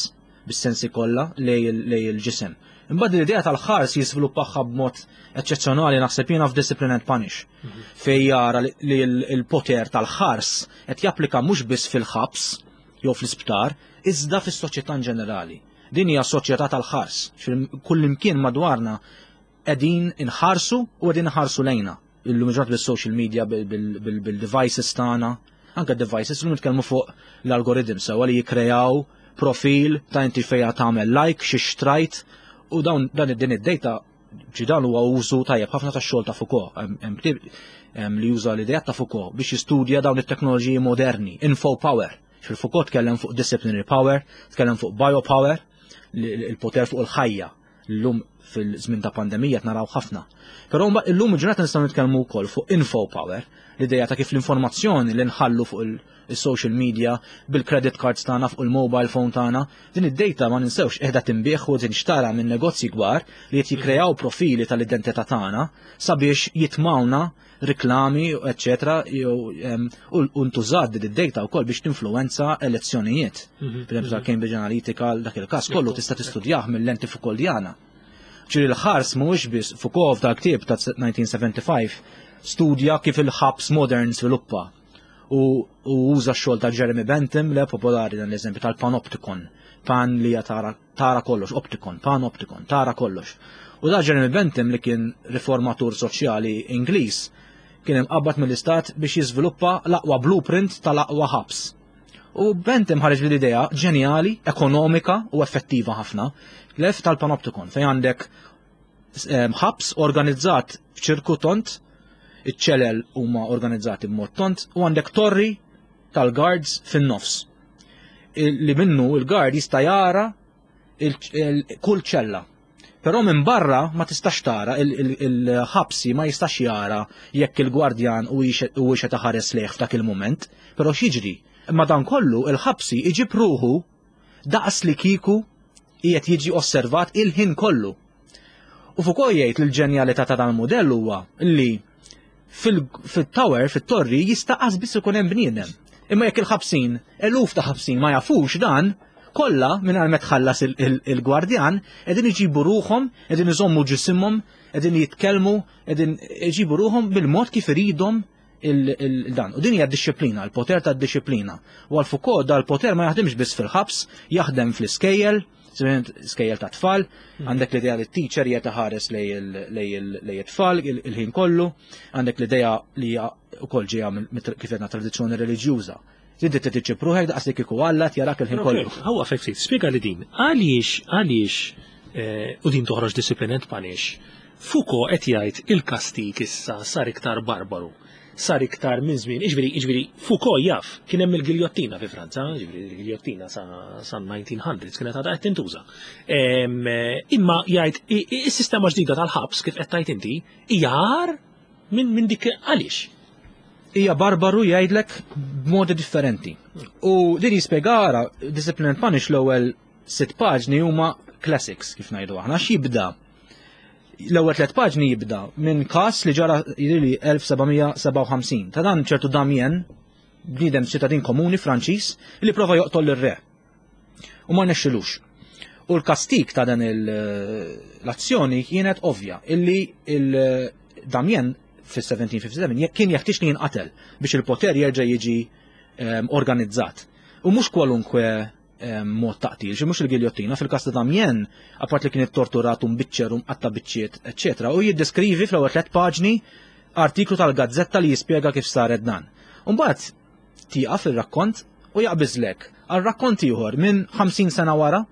bis-sensi kollha lej lej il-ġisem. Imbagħad l-idea tal-ħars jiżviluppaha b'mod eċċezzjonali, naħseb jiena, f'Discipline and Punish, fejn jara li li l-poter tal-ħars qed japplika mhux biss fil-ħabs jew fl-isptar, iżda fis-soċjetà in ġenerali. Din hija soċjetà tal-ħars, kull imkien madwarna qegħdin inħarsu u qegħdin inħarsu lejna. Illum ġrat bil-social media, bil-devices tagħna, anke devices, illum nitkellmu fuq l-algorithm sewa li jikkrejaw profil ta' inti fejja tagħmel like, xi xtrajt, u dawn dan din id-data ġi dan huwa użu tajjeb ħafna tax-xogħol ta' Foucault. Hemm- hemm ktieb hemm li juża l-idea ta' Foucault biex jistudja dawn it-teknoloġiji moderni, info power. Fil Foucault tkellem fuq disciplinary power, tkellem fuq biopower, li- il-poter fuq il-ħajja. Llum fil-żmien ta' pandemija qed naraw ħafna. Però mbagħad illum il-ġurnata nistgħu nitkellmu wkoll fuq info power, l-idea ta' kif l-informazzjoni li nħallu fuq il- il-social media, bil-credit cards tagħna, fuq il-mobile phone tagħna, din id-data, ma ninsewx, qiegħda tinbiegħ u tinxtara minn negozji kbar li qed jikkrejaw profili tal-identità tagħna sabiex jitmawna riklami, eccetera, jew em, u u ntużat din id-data wkoll biex tinfluwenza elezzjonijiet. Per eżempju, Cambridge Analytica, dak il-każ kollu tista' tistudjah mill-lenti Foucauldiana. Ġifieri l-ħars mhuwiex biss. Foucault f'dak ktieb ta' elf disa' mija u sebgħa u ħamsin studja kif il-ħabs modern sviluppa u u uża x-xogħol ta' Jeremy Bentham, le popolari dan l-eżempju tal-panopticon. Pan li hija tara, tara kollox, opticon, panopticon, tara kollox. U da Jeremy Bentham, li kien riformatur soċjali Ingliż, kien imqabbad mill-istat biex jiżviluppa l-aqwa blueprint tal-aqwa ħabs. U Bentham ħareġ bil-idea ġenjali, ekonomika u effettiva ħafna, lef tal-panopticon, fejn għandek em, ħabs organizzat f'ċirku tont, iċ-ċelel huma organizzati b'mod tont u għandek torri tal-guards fin-nofs. Il- Li minnu il-guard jista' jara il- il- kull ċella. Però minn barra ma tistax tara, il-ħabsi ma jistax jara jekk il-gwardjan u qed iħares lejh f'dak il-moment, però x'jiġri? Imma dan kollu il-ħabsi iġib ruħu daqs li kieku qiegħed jiġi osservat il-ħin kollu. U Foucault jgħid li l-ġenjalità ta' dan il-modell huwa li fil-tower, fit-torri, jista' qas biss ikun hemm bniedem. Imma jekk il-ħabsin, eluf ta' ħabsin ma jafux dan, kollha minn ma tħallas il-gwardjan, qegħdin iġibu ruħhom, qegħdin iżommu ġisimhom, qegħdin jitkellmu, qegħdin iġibu ruħhom bil-mod kif iridhom il-dan. U din hija d-disciplina, il-poter ta' disciplina. U għal Foucault dal-poter ma jaħdimx biss fil-ħabs, jaħdem fl-iskejjel, skejjel ta' tfal, għandek l-idea li t-teacher hija taħares lej it-tfal il-ħin kollu, għandek l-idea li hija wkoll ġejja kif għedna tradizzjoni reliġjuża. Inti tiġib ruħek daqs li kieku Alla jarak il-ħin kollu. Huwa ftit, spjega li din. Għaliex, għaliex, eh, u din toħroġ Discipline and Punish, Foucault qed jgħid il-kastik issa sar iktar barbaru, sar iktar minn żmien, iġifieri, iġifieri, Foucault jaf, kien hemm il-giljottina fi Franza, iġifieri il-giljottina sa, sa nineteen hundreds kienet għadha qed tintuża. Imma jgħid is-sistema ġdida tal-ħabs, kif qed tgħid inti, hija minn min dik, għaliex? Hija barbaru, jgħidlek, b'modi differenti. U din jispjegara Discipline and Punish, l-ewwel sitt paġni huma classics, kif ngħidu aħna, x'jibda l-ewwel tliet paġni jibda minn każ li ġara jidhirli elf seba' mija sebgħa u ħamsin ta' dan ċertu Damien, bniedem ċittadin komuni Franċiż li prova joqtol lir-re. U ma nexxilux. U l-kastik ta' dan l-azzjoni kienet ovvja, illi il-Damien fis-elf seba' mija u sebgħa u ħamsin kien jeħtieġ li jinqatel biex il-poter jerġa' jiġi ehm, organizzat. U mhux kwalunkwe mod ta' qtil, xi mhux il-giljottina, fil-każ ta' Damien, apart li kien torturat u mbiċċer u mqatta biċċiet, eċetera. U jiddeskrivi fl-ewwel tliet paġni artiklu tal-gazzetta li jispjega kif saret dan. Mbagħad tieqaf il-rakkont u jaqbiżlek għal rakkont ieħor minn ħamsin sena wara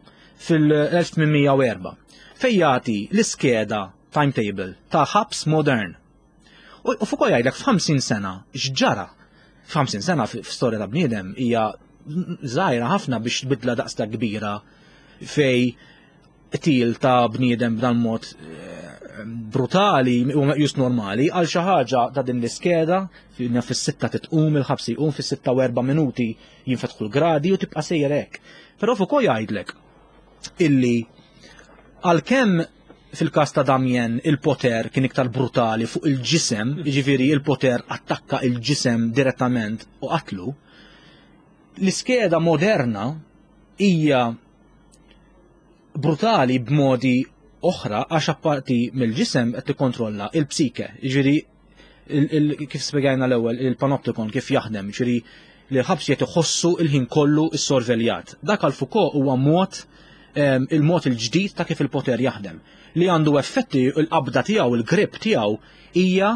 fil-elf tmien mija u erbgħa fejn jagħti l-iskeda, timetable ta' ħabs modern. U Foucault jgħidlek f'ħamsin sena x'ġara. F'ħamsin sena f'storja ta' bniedem hija żgħira ħafna biex bidla daqsta kbira fej qtil ta' bniedem b'dan mod eh, brutali u meqjus normali għal xi ħaġa ta' din l-iskeda fis-sitta titqum il-ħabs jqum fis-sitta u erba' minuti jinfetħu l-gradi u tibqa' sejjer hekk. Però Foucault jgħidlek illi għalkemm fil-każ ta' Damien il-poter kien iktar brutali fuq il-ġisem, jiġifieri il-poter attakka il-ġisem direttament u qatlu, l-iskeda moderna hija brutali b'modi oħra għax apparti mill-ġisem qed tikkontrolla il-psike, jiġifieri kif spjegajna l-ewwel il-panoptikon kif jaħdem, jiġifieri li l-ħabs qed iħossu il-ħin kollu s-sorveljat. Dak għal Foucault huwa mod il-mod il-ġdid ta' kif il-poter jaħdem li għandu effetti il-qabda tiegħu, il-grip tiegħu hija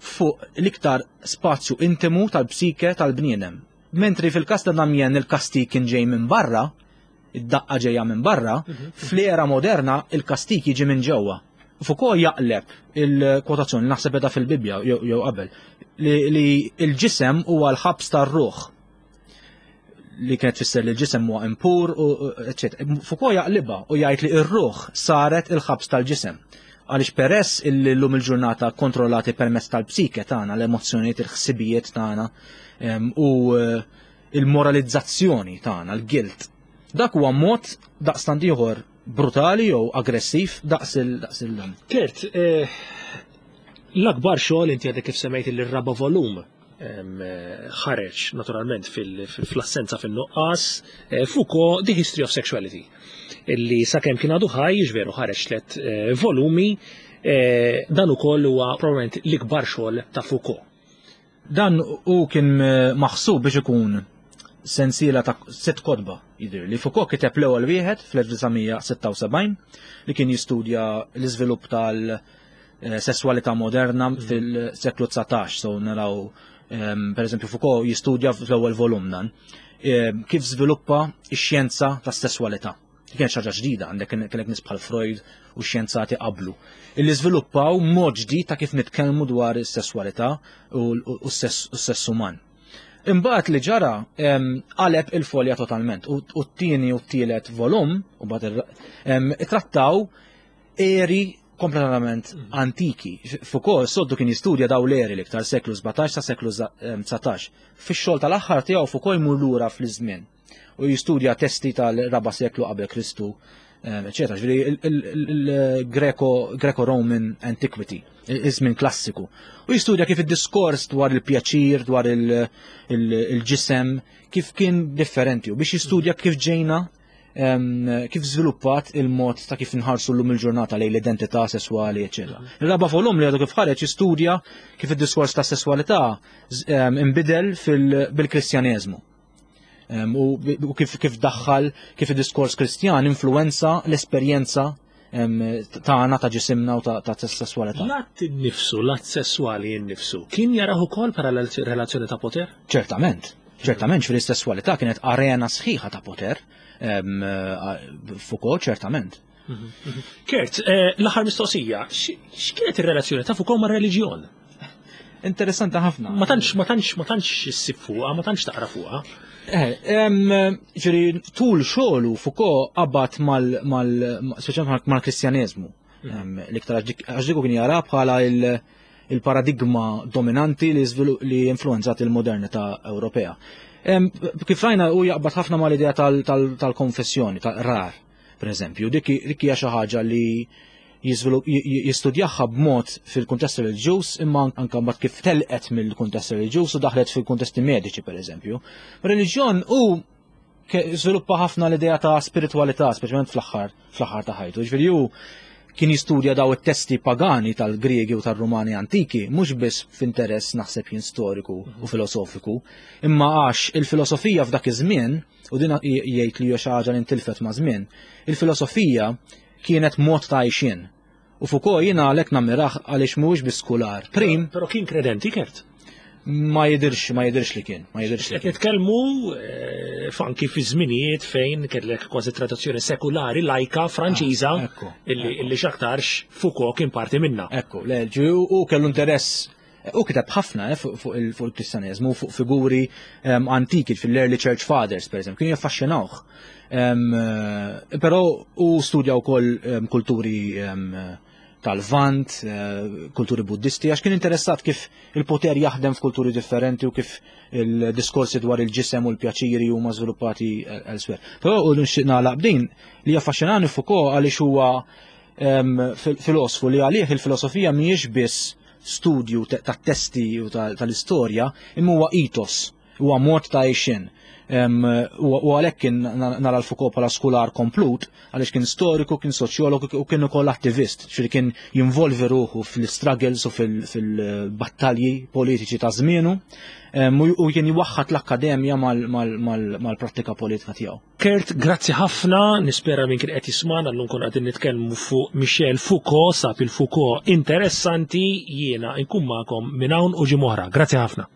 fuq l-iktar spazju intimu tal-psike tal-bniedem. Mentri fil-każ ta' Damien il-kastig kien ġej minn barra, id-daqqa ġejja minn barra, fl-era moderna il-kastig jiġi minn ġewwa. Foucault jaqleb il-kwotazzjoni naħseb edha fil-Bibja jew qabel li il-ġisem huwa l-ħabs tar-ruħ li kienet tfisser li l-ġisem huwa impur u eċetera. Foucault jaqlibha u jgħid li r-ruħ saret il-ħabs tal-ġisem. Għaliex peress illi llum il-ġurnata kontrollati permezz tal-psike tagħna, l-emozzjonijiet, il-ħsibijiet tagħna u il-moralizzazzjoni tagħna, l-guilt. Dak huwa mod daqstant ieħor brutali jew aggressiv daqs il daqs il Kurt, l-akbar xogħol inti għadek kif semmejt il-raba volum ħareġ naturalment fil-assenza fin-nuqqas Foucault The History of Sexuality illi sakemm kien għadu ħaj veru ħareġ tliet volumi dan ukoll huwa probablement l-ikbar xogħol ta' Foucault. Dan u kien maħsub biex ikun sensiela ta' sitt kotba jidher li Foucault kiteb l-ewwel wieħed fl-elf disa' mija sitta u sebgħin li kien jistudja l-iżvilupp tal-sesswalità moderna fil-seklu dsatax, so naraw per eżempju Foucault jistudja fl-ewwel volum dan kif żviluppa x-xjenza tas-sesswalità. Kienet xi ħaġa ġdida, għandek kellek nies bħal Freud u xjenzati qablu. Illi żviluppaw mod ġdid ta' kif nitkellmu dwar is-sesswalità u s-sess uman. Imbagħad li ġara qaleb il-folja totalment u t-tieni u t-tielet volum u mbagħad trattaw eri kompletament antiki. Foucault soddu kien jistudja daw l-eri l-iktar seklu sbatax sa seklu dsatax. Fix-xogħol tal-aħħar tiegħu Foucault jmur lura fl-iżmien u jistudja testi tal-raba seklu qabel Kristu, eċetera. Ġifieri il-Greco, Greco-Roman Antiquity, iż-żmien klassiku. U jistudja kif id-diskors dwar il-pjaċir, dwar il-ġisem, kif kien differenti u biex jistudja kif ġejna, kif żviluppat il-mod ta' kif nħarsu llum il-ġurnata lejn l-identità sesswali, eċetera. Il-raba volum li għadu kif ħareġ jistudja kif id-diskors ta' sesswalità imbidel bil-Kristjaneżmu. U kif, kif daħħal, kif id-diskors Kristjan influenza l-esperjenza tagħna ta' ġisimna u ta' sesswalità. L-att innifsu, l-att sesswali innifsu, kien jaraħ ukoll bħala relazzjoni ta' poter? Ċertament, ċertament fil-sesswalità kienet arena sħiħa ta' poter, Foucault ċertament. Kurt, l-aħħar mistoqsija, x'kienet ir-relazzjoni ta' Foucault mar-reliġjon? Interessanti ħafna. Ma tantx, ma tantx, ma tantx issib fuqha, ma tantx taqra fuqha. Ġifieri tul xogħlu Foucault qabad mal, mal, speċjalment mal-Kristjaneżmu. L-iktar għax dik kien jara bħala il-paradigma dominanti li żvilu-, li influenzat il-modernità Ewropea. Kif rajna u jaqbad ħafna mal-idea tal-konfessjoni, tal-rar, per eżempju, dik hija xi ħaġa li jistudjaha b'mod fil-kuntest reliġjuż, imma anke mbagħad kif telqet mill-kuntest reliġjuż u daħlet fil-kuntesti mediċi, per eżempju. Reliġjon u żviluppa ħafna l-idea ta' spiritualità, speċjalment fl-aħħar, fl-aħħar ta' ħajtu. Ġifieri hu kien jistudja daw it-testi pagani tal-Griegi u tal-Rumani antiki, mhux biss f'interess naħseb jien storiku u filosofiku, imma għax il-filosofija f'dak iż-żmien, u din jgħid li hija xi ħaġa li ntilfet ma' żmien, il-filosofija kienet mod ta' għajxien. U Foucault jiena għalhekk nammirah għaliex mhuwiex biss skular. Prim. Però kien kredenti, Kurt? Ma jidirx, ma jidirx li kien, ma jidirx li Qed kien. nitkellmu, eh, anki fi żminijiet fejn kellek kważi tradizzjoni sekulari lajka Franċiża Ah, ekku, illi, ekku. illi x'aktarx Foucault kien parti minna. Ekku, le, ġi u kellu interess U kiteb ħafna eh, fuq il-Kristjaneżmu, fuq figuri antiki fil-Early Church Fathers, per eżempju, kienu jaffaxxinawh. Eh, però u studja wkoll kulturi tal-Lvant, eh, kulturi buddisti, għax kien interessat kif il-poter jaħdem f'kulturi differenti u kif il-diskorsi dwar il-ġisem u l-pjaċiri huma żviluppati elsewhere. Però u nixtieq nagħlaq b'din li jaffaxxinani Foucault għaliex huwa filosfu li għalih il-filosofija mhijiex biss studju ta' testi u tal-istorja, imma huwa ethos, huwa mod ta' għixien. U għalhekk kien nara l-Foucault bħala skular komplut, għaliex kien storiku, kien soċjologu u kien ukoll attivist, ġifieri kien jinvolvi ruħu fil-struggles u fil-battalji politiċi ta' żmienu u kien jwaħħad l-akkademja mal-prattika politika tiegħu. Kurt, grazzi ħafna, nispera minn kien qed jismana llum konna qegħdin nitkellmu fuq Michel Foucault, sab il-Foucault interessanti, jiena nkun magħkom minn hawn u ġimgħa oħra. Grazzi ħafna.